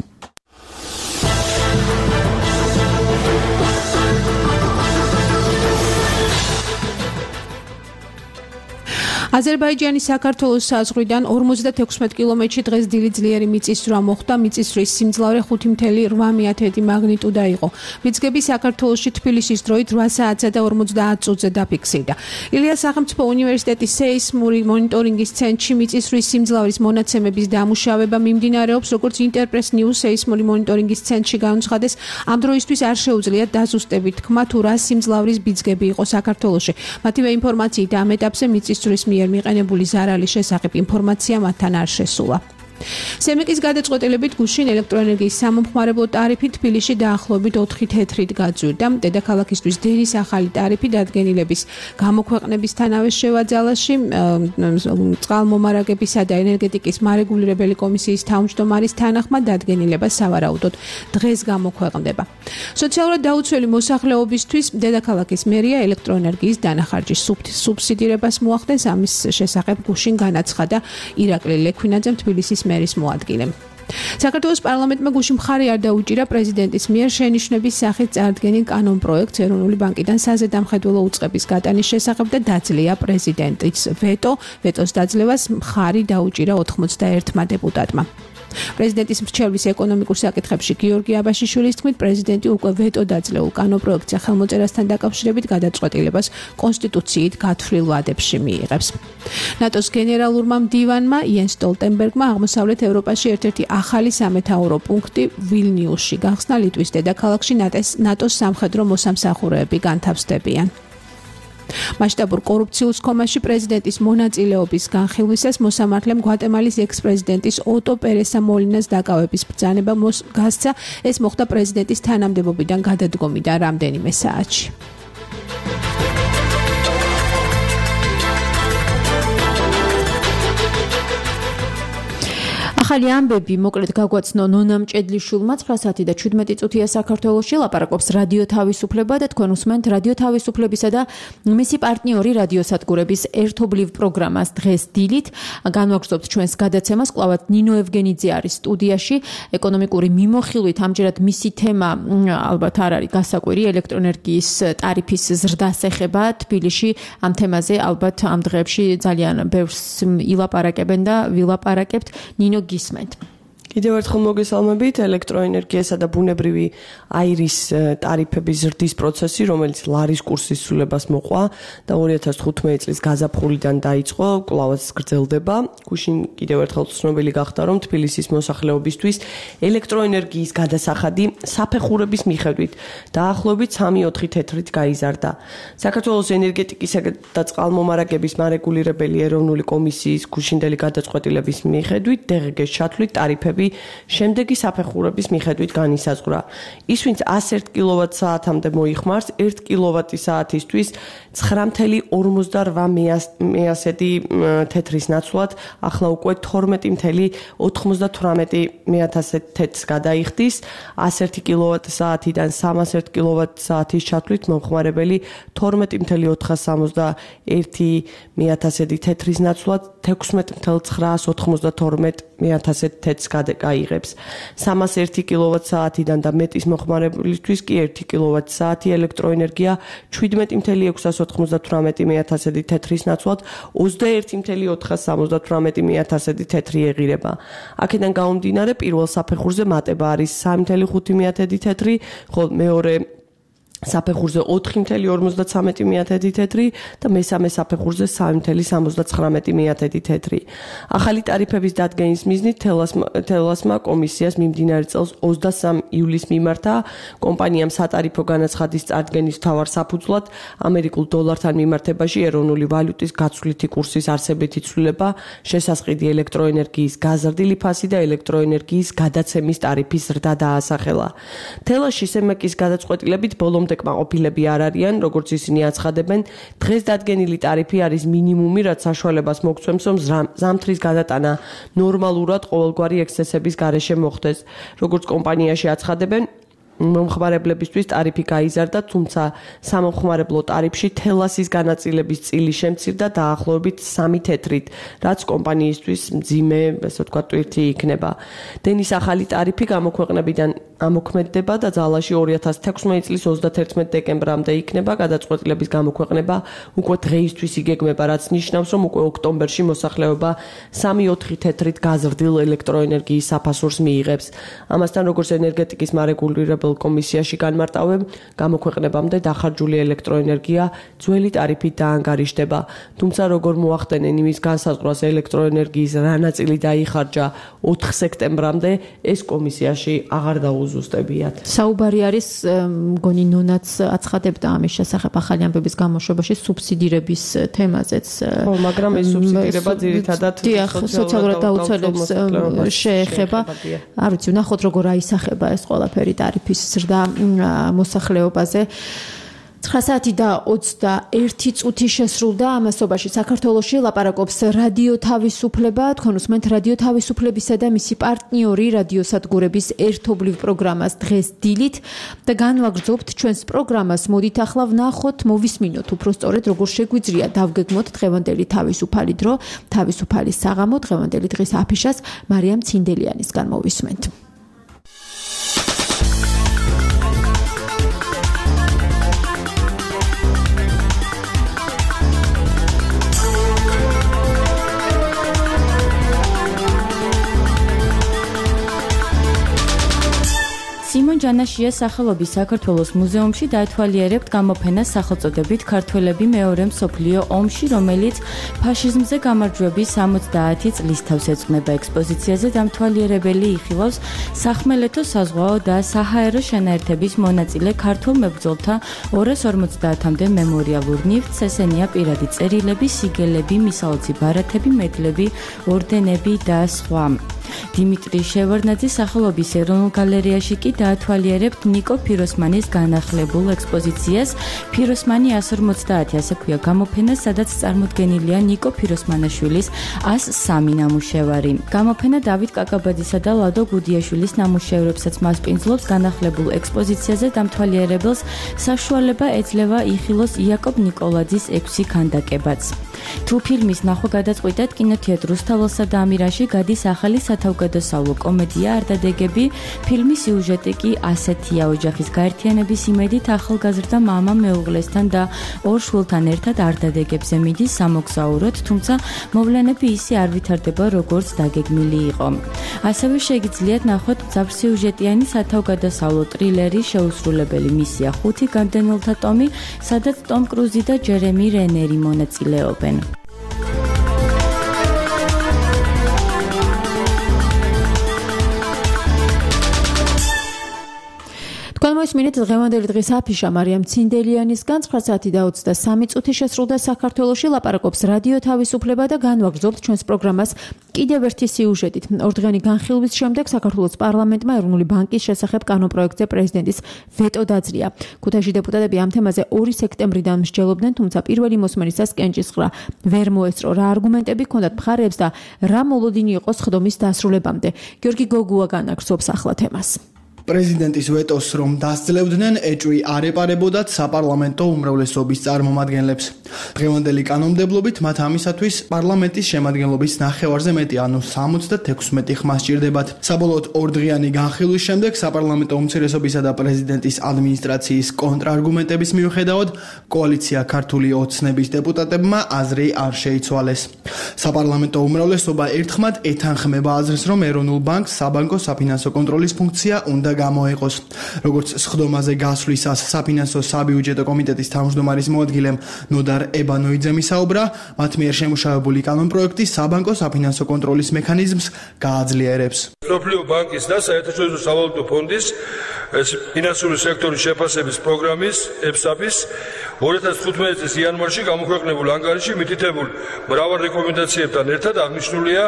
აზერბაიჯანის საქართველოს საზღვრიდან ორმოცდათექვსმეტ კილომეტრში დღეს დილი ძლიერი მიწისძვრა მოხდა. მიწისძვრის სიმძლავრე ხუთი ათას მაგნიტუდა იყო. მიწგები საქართველოში თბილისის დროით რვა საათსა და ორმოცდაათ წუთზე დაფიქსირდა. ილიას სახელმწიფო უნივერსიტეტის სეისმური მონიტორინგის ცენტრში მიწისძვრის სიმძლავრის მონაცემების დამუშავება მიმდინარეობს, როგორც ინტერპრეს ნიუს სეისმური მონიტორინგის ცენტრში განუცხადეს, ამ დროისთვის არ შეუძლიათ დაზუსტებით თქმა თუ რა სიმძლავრის ბიძგები იყო საქართველოში. მათივე ინფორმაციით ამ ეტაპზე მიწისძვრის მიყენებული ზარალის შესახებ ინფორმაცია მათთან არ შესულა. სემიკის გადაწყვეტილებით გუშინ ელექტროენერგიის სამომხმარებლო ტარიფი თბილისში დაახლოებით ოთხი თეთრით გაძვირდა. დედაქალაქისთვის დენის ახალი ტარიფი დადგენილების გამოქვეყნებისთანავე შევაძალაში წყალმომარაგებისა და ენერგეტიკის მარეგულირებელი კომისიის თავმჯდომარის თანახმად დადგენილება სავარაუდოდ დღეს გამოქვეყნდება. სოციალურად დაუცველი მოსახლეობისთვის დედაქალაქის მერია ელექტროენერგიის დანახარჯის სუბსიდირებას მოახდენს. ამის შესახებ გუშინ განაცხადა ირაკლი ლექვინაძემ თბილისის მერის მოადგილემ. საქართველოს პარლამენტმა გუშინ მხარი არ დაუჭირა პრეზიდენტის მიერ შენიშვნების სახით წარდგენილ კანონპროექტს ეროვნული ბანკიდან საზედამხედველო უწყების გატანის შესახებ და დაძლია პრეზიდენტის ვეტო. ვეტოს დაძლევას მხარი დაუჭირა ოთხმოცდაერთმა დეპუტატმა. პრეზიდენტის მრჩევლის ეკონომიკურ საკითხებში გიორგი აბაშიშვილის თქმით, პრეზიდენტი უკვე ვეტო დაძლეულ კანონპროექტზე ხელმოწერასთან დაკავშირებით გადაწყვეტილებას კონსტიტუციით გათვლილ ვადებში მიიღებს. ნატოს გენერალურმა მდივანმა იენს სტოლტენბერგმა აღმოსავლეთ ევროპაში ერთ-ერთი ახალი სამეთაურო პუნქტი ვილნიუსში გახსნა. ლიტვის დედაქალაქში ნატოს სამხედრო მოსამსახურეები განთავსდებიან. მასშტაბურ კორუფციულ სქომაში პრეზიდენტის მონაწილეობის განხილვისას მოსამართლემ გვატემალის ექს-პრეზიდენტის ოტო პერესა მოლინას დაკავების ბრძანება გასცა. ეს მოხდა პრეზიდენტის თანამდებობიდან გადადგომიდან რამდენიმე საათში. ახალი ამბები მოკლედ გაგვაცნო ნონა მჭედლიშვილმა ცხრა საათი და ჩვიდმეტი წუთია საქართველოში. ლაპარაკობს რადიო თავისუფლება და თქვენ უსმენთ რადიო თავისუფლებისა და მისი პარტნიორი რადიოსადგურების ერთობლივ პროგრამას დღეს დილით. განვაგრძობთ ჩვენს გადაცემას. კვლავად ნინო ევგენიძე არის სტუდიაში. ეკონომიკური მიმოხილვით ამჯერად მისი თემა ალბათ არ არის გასაკვირი, ელექტროენერგიის ტარიფის ზრდას ეხება თბილისში. ამ თემაზე ალბათ ამ დღეებში ძალიან ბევრს ილაპარაკებენ და ვილაპარაკებთ. ნინო გისმენთ. კიდევ ერთხელ მოგესალმებით. ელექტროენერგიასა და ბუნებრივი აირის ტარიფების ზრდის პროცესი, რომელიც ლარის კურსის ცვლილებას მოყვა და ორი ათას თხუთმეტი წლის გაზაფხულიდან დაიწყო, კვლავაც გრძელდება. გუშინ კიდევ ერთხელ ცნობილი გახდა, რომ თბილისის მოსახლეობისთვის ელექტროენერგიის გადასახადი საფეხურების მიხედვით დაახლოებით სამი ოთხი თეთრით გაიზარდა. საქართველოს ენერგეტიკისა და წყალმომარაგების მარეგულირებელი ეროვნული კომისიის გუშინდელი გადაწყვეტილების მიხედვით დღგ-ს ჩათვლით ტარიფები შემდეგი საფეხურების მიხედვით განისაზღვრა. ის, ვინც ასი კილოვატ-საათამდე მოიხმარს, ერთი კილოვატი-საათისთვის ცხრა ორმოცდარვა თეთრის ნაცვლად, ახლა უკვე თორმეტი ოცდათვრამეტი თეთრს გადაიხდის. ასი კილოვატ-საათიდან სამას ერთ კილოვატ-საათის ჩათვლით მომხმარებელი თორმეტი ოთხასამოცდაერთი თეთრის ნაცვლად თექვსმეტი ცხრაასოთხმოცდათორმეტი მეათასად თეთრს გაიღებს. სამას ერთი კილოვატ-საათიდან და მეტის მოხმარებლისთვის კი ერთი კილოვატ-საათი ელექტროენერგია შვიდმეტი ათეული ექვსას ოცდაათი მეათასადი თეთრის ნაცვლად ოცდაერთი ათეული ოთხას სამოცდათვრამეტი მეათასადი თეთრი ეღირება. აქედან გამომდინარე პირველ საფეხურზე მატება არის სამი ათეული ხუთი მეათედი თეთრი, ხოლო მეორე საფეხურზე ოთხი ათეული ორმოცდაცამეტი მეათედი თეთრი და მესამე საფეხურზე სამი ათეული სამოცდაცხრამეტი მეათედი თეთრი. ახალი ტარიფების დადგენის მიზნით თელასმა კომისიას მიმდინარე წელს ოცდასამი ივლისს მიმართა კომპანიამ სატარიფო განაცხადის წარდგენის მთავარ საფუძვლად ამერიკულ დოლართან მიმართებაში ეროვნული ვალუტის გაცვლითი კურსის არსებითი ცვლილება, შესასყიდი ელექტროენერგიის გაზრდილი ფასი და ელექტროენერგიის გადაცემის ტარიფის ზრდა დაასახელა. თელაში სემეკის გადაწყვეტილებით ბოლომდე კმაყოფილები არ არიან, როგორც ისინი აცხადებენ, დღეს დადგენილი ტარიფი არის მინიმუმი, რაც საშუალებას მოგცემს, რომ ზამთრის გადატანა ნორმალურად ყოველგვარი ექსცესების გარეშე მოხდეს. როგორც კომპანიაში აცხადებენ, მომხმარებლებისთვის ტარიფი გაიზარდა, თუმცა სამომხმარებლო ტარიფში თელასის განაწილების წილი შემცირდა დაახლოებით სამი თეთრით, რაც კომპანიისთვის მძიმე, ასე ვთქვათ, ტვირთი იქნება. დენის ახალი ტარიფი გამოქვეყნებიდან ამოქმედდება და ძალაში ორი ათას თექვსმეტი წლის ოცდათერთმეტი დეკემბრამდე იქნება. გადაწყვეტილების გამოქვეყნება უკვე დღეისთვის იგეგმება, რაც ნიშნავს, რომ უკვე ოქტომბერში მოსახლეობა სამი ოთხი თეთრით გაზრდილ ელექტროენერგიის საფასურს მიიღებს. ამასთან, როგორც ენერგეტიკის მარეგულირებელ კომისიაში განმარტავენ, გამოქვეყნებამდე დახარჯული ელექტროენერგია ძველი ტარიფით დაანგარიშდება. თუმცა, როგორ მოახდენენ იმის განსაზღვრას ელექტროენერგიის რა ნაწილი დაიხარჯა ოთხ სექტემბრამდე, ეს კომისიაში აღარ დაუზუსტებიათ. საუბარი არის, მგონი ნონაც აცხადებდა ამის შესახებ ახალი ამბების გამოშვებაში სუბსიდირების თემაზეც. ხო, მაგრამ ეს სუბსიდირება ძირითადად სოციალურად დაუცველებს შეეხება. არ ვიცი, ვნახოთ როგორ აისახება ეს ყველაფერი ტარიფის ზრდა მოსახლეობაზე. ცხრა საათი და ოცდაერთი წუთი შესრულდა ამასობაში საქართველოში ლაპარაკობს რადიო თავისუფლება. თქვენ უსმენთ რადიო თავისუფლებისა და მისი პარტნიორი რადიოსადგურების ერთობლივ პროგრამას დღეს დილით და განვაგრძობთ ჩვენს პროგრამას. მოდით ახლა ვნახოთ, მოვისმინოთ უფრო სწორედ როგორ შეგვიძლია დავგეგმოთ დღევანდელი თავისუფალი დრო, თავისუფალი საღამო. დღევანდელი დღის აფიშას მარიამ ცინდელიანისგან მოვისმენთ. სიმონ ჯანაშიას სახელობის საქართველოს მუზეუმში დაეთვალიერებთ გამოფენას სახელწოდებით ქართველები მეორე მსოფლიო ომში, რომელიც ფაშიზმზე გამარჯვების სამოცდაათი წლის თავს ეძღვნება. ექსპოზიციაზე დამთვალიერებელი იხილავს სახმელეთო საზღვაო და საჰაერო შენაერთების მონაწილე ქართულ მებრძოლთა ორას ორმოცდაათამდე მემორიალურ ნივთს, ესენია პირადი წერილები, სიგელები, მისაოცი ბარათები, მედლები, ორდენები და სხვა. დიმიტრი შევარდნაძის სახელობის ეროვნულ გალერეაში კი დაათვალიერებთ ნიკო ფიროსმანის განახლებულ ექსპოზიციას. ფიროსმანი ას ორმოცდაათი ასე ქვია გამოფენა, სადაც წარმოდგენილია ნიკო ფიროსმანაშვილის ას სამი ნამუშევარი. გამოფენა დავით კაკაბაძისა და ლადო გუდიაშვილის ნამუშევრებსაც მასპინძლობს. განახლებულ ექსპოზიციაზე დამთვალიერებელს საშუალება ეძლევა იხილოს იაკობ ნიკოლაძის ექვსი ქანდაკებაც. თუ ფილმის ნახვა გადაწყვიტეთ, კინოთეატრ რუსთაველსა და ამირაში გადის ახალი სათავგადასავლო კომედია არდადეგები. ფილმის სიუჟეტი კი ასეთია: ოჯახის გაერთიანების იმედით ახალგაზრდა მამა მეუღლესთან და ორ შვილთან ერთად არდადეგებზე მიდის სამოგზაუროდ, თუმცა მოვლენები ისე არ ვითარდება, როგორც დაგეგმილი იყო. ასევე შეგიძლიათ ნახოთ მძაფრსიუჟეტიანი სათავგადასავლო ტრილერი შეუსრულებელი მისია ხუთი გამდენილთა ტომი, სადაც ტომ კრუზი და ჯერემი რენერი მონაწილეობენ. მოისმინეთ დღევანდელი დღის აფიშა მარიამ ცინდელიანისგან. ცხრა საათი და ოცდასამი წუთი შესრულდა საქართველოში, ლაპარაკობს რადიო თავისუფლება და განვაგრძობთ ჩვენს პროგრამას კიდევ ერთი სიუჟეტით. ორდღიანი განხილვის შემდეგ საქართველოს პარლამენტმა ეროვნული ბანკის შესახებ კანონპროექტზე პრეზიდენტის ვეტო დაძლია. ქუთაისში დეპუტატები ამ თემაზე ორი სექტემბრიდან მსჯელობდნენ, თუმცა პირველი მოსმენისას კენჭისყრა ვერ მოესწრო. რა არგუმენტები ჰქონდათ მხარეებს და რა მოლოდინი იყო სხდომის დასრულებამდე. გიორგი გოგუა განაგრძობს ახლა თემას. პრეზიდენტის ვეტოს რომ დასძლევდნენ, ეჭვი არ ეპარებოდათ საპარლამენტო უმრავლესობის წარმომადგენლებს. დღევანდელი კანონმდებლობით მათ ამისათვის პარლამენტის შემადგენლობის ნახევარზე მეტი, ანუ სამოცდათექვსმეტი ხმა სჭირდებათ. საბოლოოდ ორდღიანი განხილვის შემდეგ საპარლამენტო უმცირესობისა და პრეზიდენტის ადმინისტრაციის კონტრარგუმენტების მიუხედავად კოალიცია ქართული ოცნების დეპუტატებმა აზრი არ შეიცვალეს. საპარლამენტო უმრავლესობა ერთხმად ეთანხმება აზრს, რომ ეროვნულ ბანკს საბანკო საფინანსო კონტროლის ფუნქცია უნდა გამოეყოს. როგორც სხდომაზე გასვლისას საფინანსო საბიუჯეტო კომიტეტის თავმჯდომარის მოადგილემ ნოდარ ებანოიძემ ისაუბრა, მათ მიერ შემუშავებული კანონპროექტი საბანკო საფინანსო კონტროლის მექანიზმს გააძლიერებს. მსოფლიო ბანკის და საერთაშორისო სავალუტო ფონდის ფინანსური სექტორის შეფასების პროგრამის ებსაპის ორი ათას თხუთმეტი წლის იანვარში გამოქვეყნებულ ანგარიში მითითებულ მრავალ რეკომენდაციებთან ერთად აღნიშნულია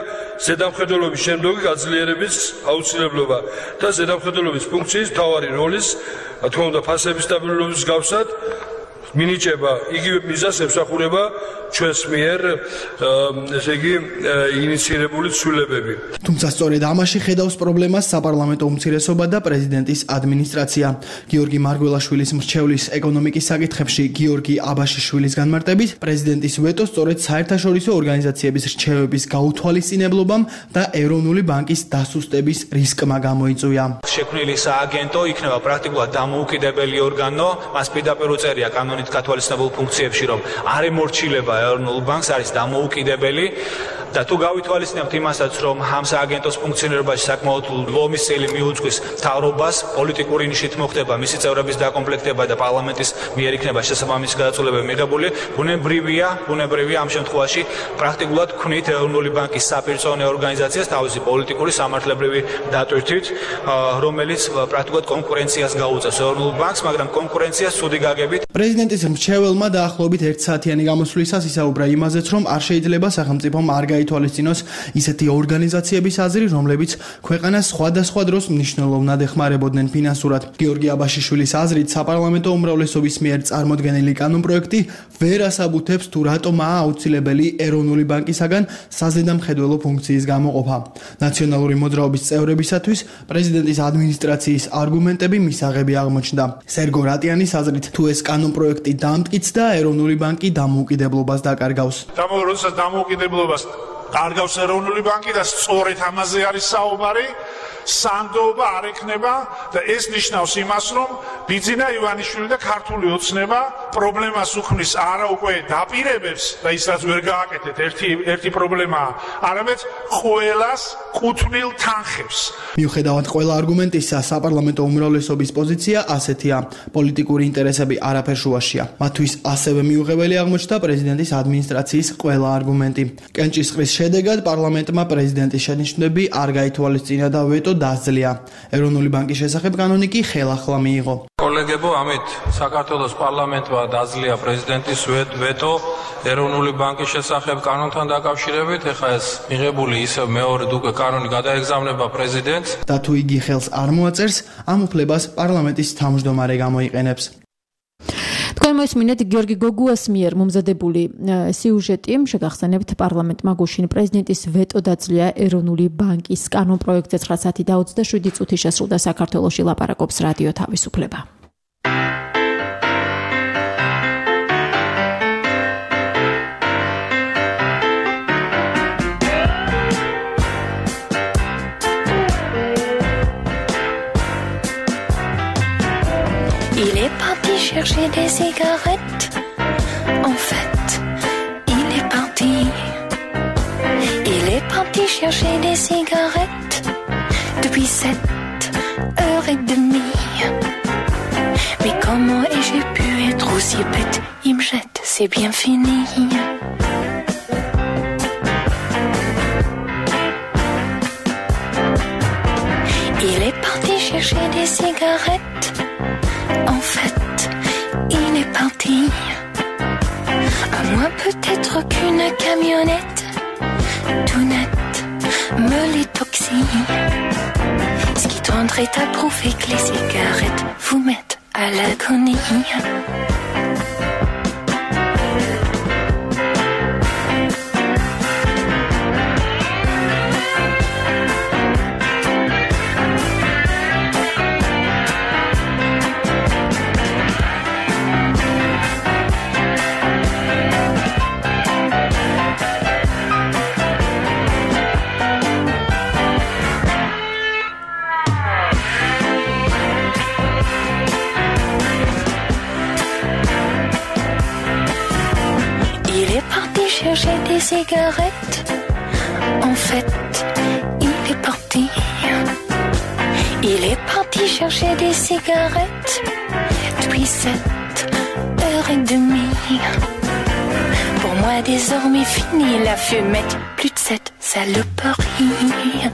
ზედამხედველობის შემდეგი გაძლიერების აუცილებლობა და ზედამხედველობის ფუნქციის მთავარი როლის, რა თქმა უნდა, ფასების სტაბილურობის მსგავსად მინიჭება იგივე მიზანს ემსახურება ჩვენს მიერ ესე იგი ინიცირებული ცვლილებები. თუმცა სწორედ ამაში ხედავს პრობლემას საპარლამენტო უმცირესობა და პრეზიდენტის ადმინისტრაცია. გიორგი მარგველაშვილის მრჩევლის ეკონომიკის საკითხებში გიორგი აბაშიშვილის განმარტებით, პრეზიდენტის ვეტო სწორედ საერთაშორისო ორგანიზაციების რჩევების გაუთვალისწინებლობამ და ეროვნული ბანკის დასუსტების რისკმა გამოიწვია. შექმნილი სააგენტო იქნება პრაქტიკულად დამოუკიდებელი ორგანო, მას პირდაპირ უწერია კანონით გათვალისწინებულ ფუნქციებში, რომ არ ემორჩილება ეროვნულ ბანკს, არის დამოუკიდებელი და თუ გავითვალისწინებთ იმასაც, რომ ამ სააგენტოს ფუნქციონირებაში საკმაოდ ლომის წილი მიუძღვის მთავრობას, პოლიტიკური ნიშით მოხდება მისი წევრების დაკომპლექტება და პარლამენტის მიერ იქნება შესაბამისი გადაწყვეტილებები მიღებული, ბუნებრივია, ბუნებრივია ამ შემთხვევაში პრაქტიკულად ქმნით ეროვნული ბანკის საპირწონე ორგანიზაციას თავისი პოლიტიკური სამართლებრივი დატვირთვით, რომელიც პრაქტიკულად კონკურენციას გაუწევს ეროვნულ ბანკს, მაგრამ კონკურენციას ცუდი გაგებით. პრეზიდენტის მრჩეველმა დაახლოებით ერთსაათიანი გამოსვლისას ისაუბრა იმაზეც, რომ არ შეიძლება სახელმწიფომ არ გაითვალისწინოს ისეთი ორგანიზაციების აზრი, რომლებიც ქვეყანას სხვადასხვა დროს მნიშვნელოვნად ეხმარებოდნენ ფინანსურად. გიორგი აბაშიშვილის აზრით, საპარლამენტო უმრავლესობის მიერ წარმოდგენილი კანონპროექტი ვერ ასაბუთებს თუ რატომაა აუცილებელი ეროვნული ბანკისაგან საზედამხედველო ფუნქციის გამოყოფა. ნაციონალური მოძრაობის წევრებისათვის პრეზიდენტის ადმინისტრაციის არგუმენტები მისაღები აღმოჩნდა. სერგო რატიანის აზრით, თუ ეს კანონპროექტი დამტკიცდა, ეროვნული ბანკი დამოუკიდებლობას დაკარგავს. როდესაც დამოუკიდებლობას კარგავს ეროვნული ბანკი და სწორედ ამაზე არის საუბარი, სანდოობა არ ექნება და ეს ნიშნავს იმას, რომ ბიძინა ივანიშვილი და ქართული ოცნება პრობლემას უქმნის არა უკვე დაპირებებს და ის რაც ვერ გააკეთეთ ერთი ერთი პრობლემაა, არამედ ყველას კუთვნილ თანხებს. მიუხედავად ყველა არგუმენტისა, საპარლამენტო უმრავლესობის პოზიცია ასეთია: პოლიტიკური ინტერესები არაფერ შუაშია. მათთვის ასევე მიუღებელი აღმოჩნდა პრეზიდენტის ადმინისტრაციის ყველა არგუმენტი. კენჭისყრის შედეგად პარლამენტმა პრეზიდენტის შენიშვნები არ გაითვალისწინა და ვეტო დაძლია. ეროვნული ბანკის შესახებ კანონი კი ხელახლა მიიღო. კოლეგებო, ამით საქართველოს პარლამენტმა დაძლია პრეზიდენტის ვეტო ეროვნული ბანკის შესახებ კანონთან დაკავშირებით. ეხლა ეს მიღებული ისევ მეორედ უკვე კანონი გადაეგზავნება პრეზიდენტს და თუ იგი ხელს არ მოაწერს, ამ უფლებას პარლამენტის თავმჯდომარე გამოიყენებს. თქვენ მოისმინეთ გიორგი გოგუას მიერ მომზადებული სიუჟეტი. შეგახსენებთ, პარლამენტმა გუშინ პრეზიდენტის ვეტო დაძლია ეროვნული ბანკის კანონპროექტზე ცხრა საათი და ოცდაშვიდი წუთი შესრულდა საქართველოში. ლაპარაკობს რადიო თავისუფლება. Chercher des cigarettes, en fait, il est parti. Il est parti chercher des cigarettes depuis sept heures et demie. Mais comment ai-je pu être aussi bête? Il me jette, c'est bien fini. Il est parti chercher des cigarettes, en fait. Il est parti, à moins peut-être qu'une camionnette tout net me l'étoxie. Ce qui tendrait à prouver que les cigarettes vous mettent à l'agonie. cigarettes. En fait, il est parti. Il est parti chercher des cigarettes depuis sept heures et demie. Pour moi désormais fini la fumette, plus de cette saloperie.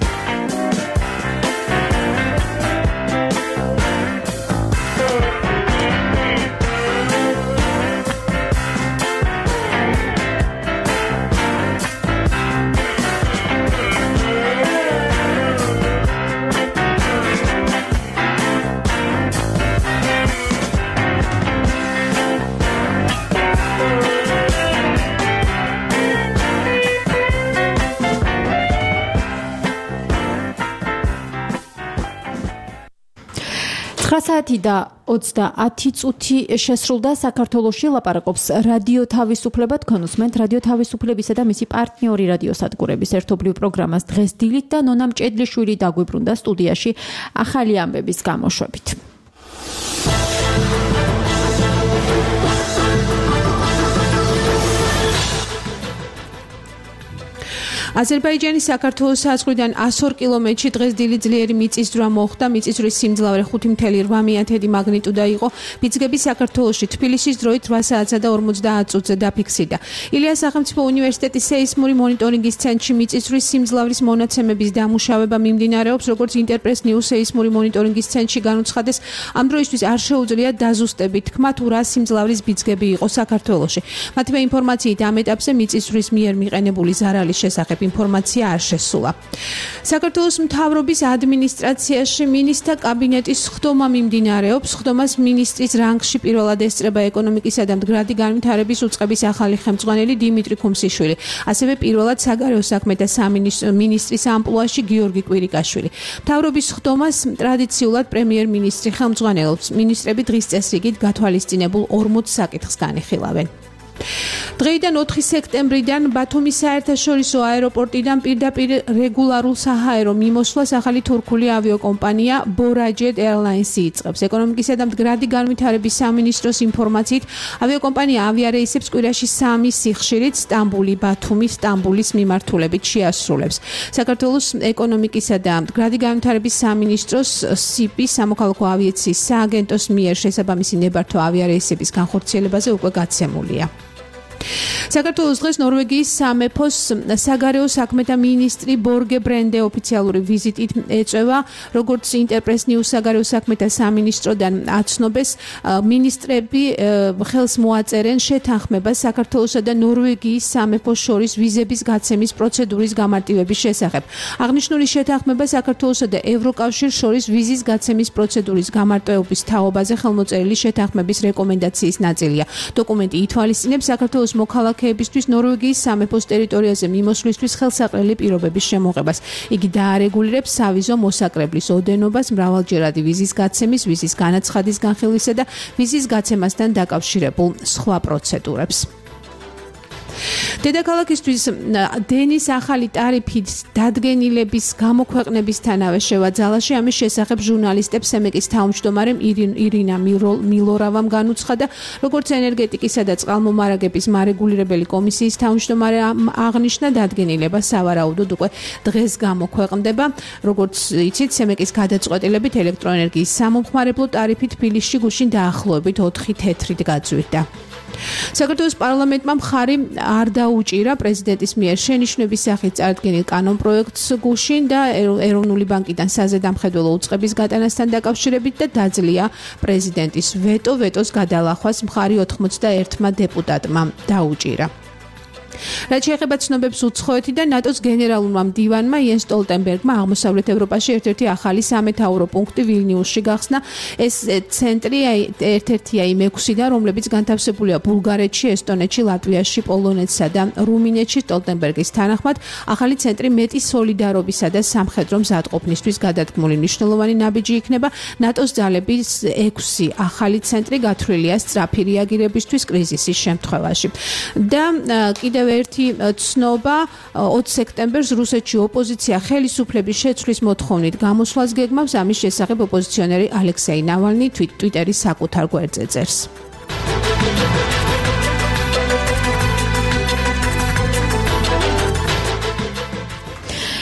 ცხრა საათი და ოცდაათი წუთი შესრულდა. საქართველოში ლაპარაკობს რადიო თავისუფლება. თქვენ უსმენთ რადიო თავისუფლებისა და მისი პარტნიორი რადიოსადგურების ერთობლივ პროგრამას დღეს დილით და ნონა მჭედლიშვილი დაგვიბრუნდა სტუდიაში ახალი ამბების გამოშვებით. აზერბაიჯანის საქართველოს საზღვრიდან ას ორ კილომეტრში დღეს დილით ძლიერი მიწისძვრა მოხდა. მიწისძვრის სიმძლავრე ხუთი მცდე რვა მაგნიტუდა იყო. ბიძგები საქართველოში თბილისის დროით რვა საათსა და ორმოცდაათ წუთზე დაფიქსირდა. ილიას სახელმწიფო უნივერსიტეტის სეისმური მონიტორინგის ცენტრში მიწისძვრის სიმძლავრის მონაცემების დამუშავება მიმდინარეობს. როგორც ინტერპრეს ნიუს სეისმური მონიტორინგის ცენტრში განუცხადეს, ამ დროისთვის არ შეუძლია დაზუსტებით თქმა თუ რა სიმძლავრის ბიძგები იყო საქართველოში. მათივე ინფორმაციით ამ ეტაპზე მიწისძვრის მიერ მიყენებული ზარალის შესახებ ინფორმაცია არ შესულა. საქართველოს მთავრობის ადმინისტრაციაში მინისტრთა კაბინეტის ხდომა მიმდინარეობს. ხდომას მინისტრის რანგში პირველად ესწრება ეკონომიკისა და მდგრადი განვითარების უწყების ახალი ხელმძღვანელი დიმიტრი ქუმსიშვილი. ასევე პირველად საგარეო საქმეთა სამინისტრის ამპლუაში გიორგი კვირიკაშვილი. მთავრობის ხდომას ტრადიციულად პრემიერ-მინისტრი ხელმძღვანელობს. მინისტრები დღის წესრიგით გათვალისწინებულ ორმოც საკითხს განიხილავენ. დღეიდან ოთხი სექტემბრიდან ბათუმის საერთაშორისო აეროპორტიდან პირდაპირ რეგულარულ საჰაერო მიმოსვლას ახალი თურქული ავიაკომპანია Borajet Airlines იწყებს. ეკონომიკისა და მდგრადი განვითარების სამინისტროს ინფორმაციით, ავიაკომპანია ავიარეისებს კვირაში სამი სიხშირით სტამბული, ბათუმი, სტამბულის მიმართულებით შეასრულებს. საქართველოს ეკონომიკისა და მდგრადი განვითარების სამინისტროს სიპის სამოქალაქო ავიაციის სააგენტოს მიერ შესაბამისი ნებართვა ავიარეისების განხორციელებაზე უკვე გაცემულია. საქართველოს დღეს ნორვეგიის სამეფოს საგარეო საქმეთა მინისტრი ბორგე ბრენდე ოფიციალური ვიზიტით ეწევა. როგორც ინტერპრეს ნიუს საგარეო საქმეთა სამინისტროდან აცნობეს, მინისტრები ხელს მოაწერენ შეთანხმებას საქართველოსა და ნორვეგიის სამეფოს შორის ვიზების გაცემის პროცედურის გამარტივების შესახებ. აღნიშნული შეთანხმება საქართველოსა და ევროკავშირს შორის ვიზის გაცემის პროცედურის გამარტივების თაობაზე ხელმოწერილი შეთანხმების რეკომენდაციის ნაწილია. დოკუმენტი ითვალისწინებს საქართველოს მოქალაქეებისთვის ნორვეგიის სამეფოს ტერიტორიაზე მიმოსვლისთვის ხელსაყრელი პირობების შემოღებას. იგი დაარეგულირებს სავიზო მოსაკრებლის ოდენობას, მრავალჯერადი ვიზის გაცემის, ვიზის განაცხადის განხილვისა და ვიზის გაცემასთან დაკავშირებულ სხვა პროცედურებს. დედაქალაქისთვის დენის ახალი ტარიფის დადგენილების გამოქვეყნებისთანავე შევა ძალაში. ამის შესახებ ჟურნალისტებს სემეკის თავმჯდომარე ირინა მილორავამ განუცხადა, როგორც ენერგეტიკისა და წყალმომარაგების მარეგულირებელი კომისიის თავმჯდომარე აღნიშნა, დადგენილება სავარაუდოდ უკვე დღეს გამოქვეყნდება. როგორც იცით, სემეკის გადაწყვეტილებით ელექტროენერგიის სამომხმარებლო ტარიფი თბილისში გუშინ დაახლოებით ოთხი თეთრით გაძვირდა. საქართველოს პარლამენტმა მხარი არ დაუჭირა პრეზიდენტის მიერ შენიშვნების სახით წარდგენილ კანონპროექტს გუშინ და ეროვნული ბანკიდან საზედამხედველო უწყების გატანასთან დაკავშირებით და დაძლია პრეზიდენტის ვეტო. ვეტოს გადალახვას მხარი ოთხმოცდაერთმა დეპუტატმა დაუჭირა. რაც შეეხება ცნობებს უცხოეთიდან, ნატოს გენერალურმა მდივანმა იენს სტოლტენბერგმა აღმოსავლეთ ევროპაში ერთ-ერთი ახალი სამეთაურო პუნქტი ვილნიუსში გახსნა. ეს ცენტრი ერთ-ერთია იმ ექვსიდან, რომლებიც განთავსებულია ბულგარეთში, ესტონეთში, ლატვიაში, პოლონეთსა და რუმინეთში. სტოლტენბერგის თანახმად, ახალი ცენტრი მეტი სოლიდარობისა და სამხედრო მზადყოფნისთვის გადადგმული მნიშვნელოვანი ნაბიჯი იქნება. ნატოს ძალების ექვსი ახალი ცენტრი გათვლილია სწრაფი რეაგირებისთვის კრიზისის შემთხვევაში. და კიდევ ერთი ცნობა, ოცი სექტემბერს რუსეთში ოპოზიცია ხელისუფლების შეცვლის მოთხოვნით გამოსვლას გეგმავს. ამის შესახებ ოპოზიციონერი ალექსეი ნავალნი ტვიტერის საკუთარ გვერდზე წერს.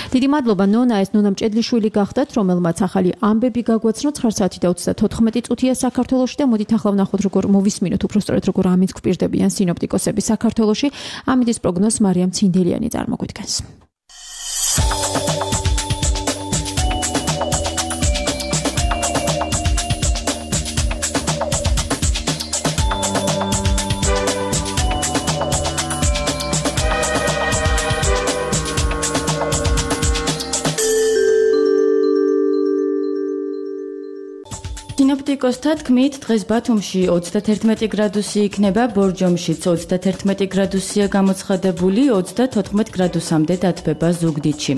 დიდი მადლობა ნონა, ეს ნონა მჭედლიშვილი გახდათ, რომელმაც ახალი ამბები გაგვაცნო ცხრა საათი და ოცდათოთხმეტი წუთია საქართველოში და მოდით ახლა ვნახოთ როგორ მოვისმინოთ უბრალოდ როგორ ამინდს გვპირდებიან სინოპტიკოსები საქართველოში. ამინდის პროგნოზს მარიამ ცინდელიანი წარმოგვიდგენს. სინოპტიკოსთა თქმით, დღეს ბათუმში ოცდათერთმეტი გრადუსი იქნება, ბორჯომშიც ოცდათერთმეტი გრადუსია გამოცხადებული, ოცდათოთხმეტ გრადუსამდე დათბება ზუგდიდში.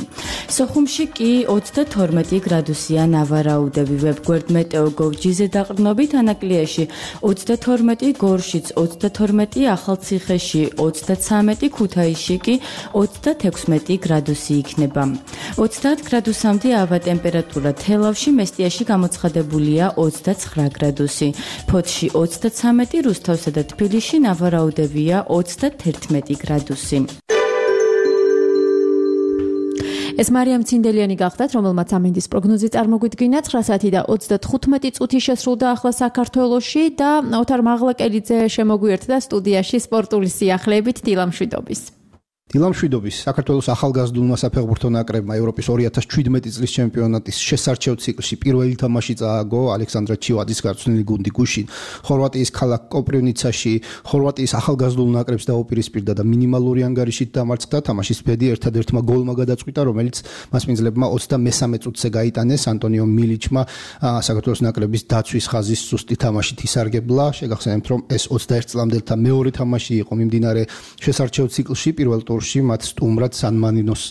სოხუმში კი ოცდათორმეტი გრადუსია ნავარაუდები. ვებგვერდ მეტეოგოვ.gz დაყრდნობით ანაკლიაში ოცდათორმეტი, გორშიც ოცდათორმეტი, ახალციხეში ოცდაცამეტი, ქუთაისში კი ოცდათექვსმეტი გრადუსი იქნება. ოცდაათ გრადუსამდე ავა ტემპერატურა თელავში, მესტიაში გამოცხადებულია ოცდაცხრა გრადუსი. ფოთში ოცდაცამეტი, რუსთავსა და თბილისში ნავარაუდებია ოცდათერთმეტი გრადუსი. ეს მარიამ ცინდელიანი გახდათ, რომელმაც ამინდის პროგნოზი წარმოგვიდგინა. ცხრა საათი და ოცდათხუთმეტი წუთი შესრულდა ახლა საქართველოში და ოთარ მაღლაკელიძე შემოგვიერთდა სტუდიაში სპორტული სიახლეებით დილამშვიდობის. დილამშვიდობის საქართველოს ახალგაზრდულმა საფეხბურთო ნაკრებმა ევროპის ორი ათას შვიდმეტი წლის ჩემპიონატის შესარჩევ ციკლში პირველი თამაში წააგო ალექსანდრა ჩივადის გარწმუნებული გუნდი გუშინ ხორვატიის ქალაქ კოპრივნიცაში ხორვატიის ახალგაზრდულ ნაკრებს დაუპირისპირდა და მინიმალური ანგარიშით დამარცხდა. თამაშის ბედი ერთადერთმა გოლმა გადაწყვიტა, რომელიც მასპინძლებმა ოცდამესამე წუთზე გაიტანეს. ანტონიო მილიჩმა საქართველოს ნაკრების დაცვის ხაზის სუსტი თამაშით ისარგებლა. შეგახსენებთ, რომ ეს ოცდაერთ წლამდელთა მეორე თამაში იყო მიმდინარე შესარჩევ ციკლში. პირველ მათ სტუმრად სან-მარინოს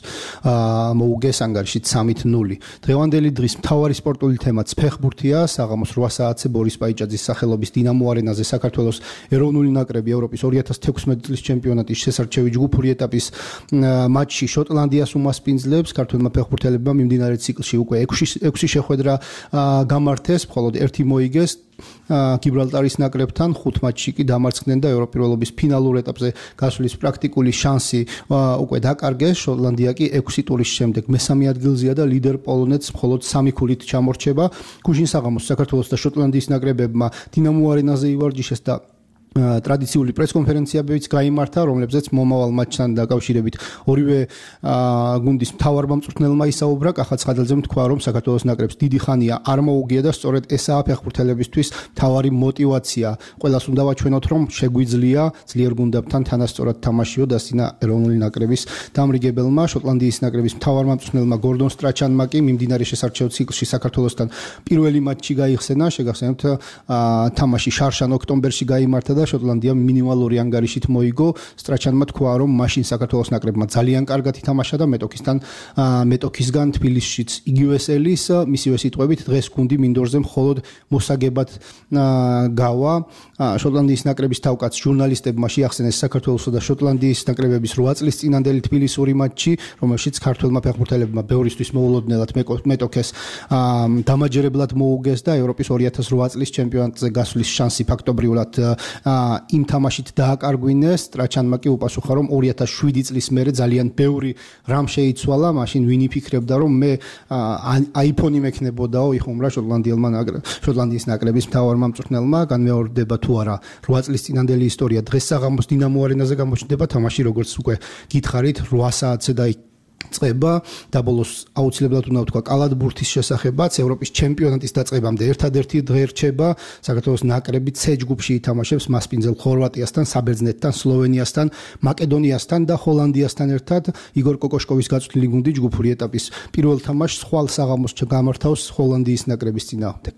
მოუგეს ანგარიშით სამით ნული. დღევანდელი დღის მთავარი სპორტული თემაც ფეხბურთია. საღამოს რვა საათზე ბორის პაიჭაძის სახელობის დინამო არენაზე საქართველოს ეროვნული ნაკრები ევროპის ორი ათას თექვსმეტი წლის ჩემპიონატის შესარჩევი ჯგუფური ეტაპის მატჩში შოტლანდიას უმასპინძლებს. ქართველმა ფეხბურთელებმა მიმდინარე ციკლში უკვე ექვსი შეხვედრა გამართეს, მხოლოდ ერთი მოიგეს. გიბრალტარის ნაკრებთან ხუთ მატჩში კი დამარცხდნენ და ევროპირველობის ფინალურ ეტაპზე გასვლის პრაქტიკული შანსი უკვე დაკარგეს. შოტლანდია კი ექვსი ტურის შემდეგ მესამე ადგილზეა და ლიდერ პოლონეთს მხოლოდ სამი ქულით ჩამორჩება. გუშინ საღამოს საქართველოს და შოტლანდიის ნაკრებებმა დინამო არენაზე ივარჯიშეს და ტრადიციული პრესკონფერენციებიც გაიმართა, რომლებზეც მომავალ მატჩთან დაკავშირებით ორივე გუნდის მთავარმა მწვრთნელმა ისაუბრა. კახა ცხადელძემ თქვა, რომ საქართველოს ნაკრებს დიდი ხანია არ მოუგია და სწორედ ესაა ფეხბურთელებისთვის მთავარი мотиваცია. ყველას უნდა ვაჩვენოთ, რომ შეგვიძლია ძლიერ გუნდებთან თანასწორად თამაშიო და სინა ეროვნული ნაკრების დამრიგებელმა. შოტლანდიის ნაკრების მთავარმა მწვრთნელმა გორდონ სტრაჩანმა კი მიმდინარე შესარჩევ ციკლში საქართველოსთან პირველი მატჩი გაიხსენა. შეგახსენებთ, თამაში შარშან ოქტომბერში გაიმართა და შოტლანდია მინიმალური ანგარიშით მოიგო. სტრაჩანმა თქვა, რომ მაშინ საქართველოს ნაკრებმა ძალიან კარგად ითამაშა და მეტოქისთან მეტოქისგან თბილისშიც იგივე სელის. მისივე სიტყვებით, დღეს გუნდი მინდორზე მხოლოდ მოსაგებად გავა. შოტლანდიის ნაკრების თავკაც ჟურნალისტებმა შეახსენეს საქართველოსა და შოტლანდიის ნაკრებების რვა წლის წინანდელი თბილისური მატჩი, რომელშიც ქართველმა ფეხბურთელებმა ბევრისთვის მოულოდნელად მეტოქეს დამაჯერებლად მოუგეს და ევროპის ორი ათას რვა წლის ჩემპიონატზე გასვლის შანსი ფაქტობრივად იმ თამაშით დააკარგვინეს. სტრაჩანმა კი უპასუხა, რომ ორი ათას შვიდი წლის მერე ძალიან ბევრი რამ შეიცვალა. მაშინ ვინ იფიქრებდა, რომ მე აიფონი მექნებოდაო, იხუმრა შოტლანდიელმა შოტლანდიის ნაკრების მთავარმა მწვრთნელმა. განმეორდება თუ არა რვა წლის წინანდელი ისტორია. დღეს საღამოს დინამო არენაზე გამოჩნდება თამაში, როგორც უკვე გითხარით, რვა საათზე და წება და ბოლოს აუცილებლად უნდა ვთქვა კალათბურთის შესახებაც. ევროპის ჩემპიონატის დაწყებამდე ერთადერთი დღე რჩება. საქართველოს ნაკრები C ჯგუფში ითამაშებს მასპინძელ ხორვატიასთან, საბერძნეთთან, სლოვენიასთან, მაკედონიასთან და ჰოლანდიასთან ერთად. იგორ კოკოშკოვის გაწვრთნილი გუნდი ჯგუფური ეტაპის პირველ თამაშს ხვალ საღამოს გამართავს ჰოლანდიის ნაკრების წინააღმდეგ.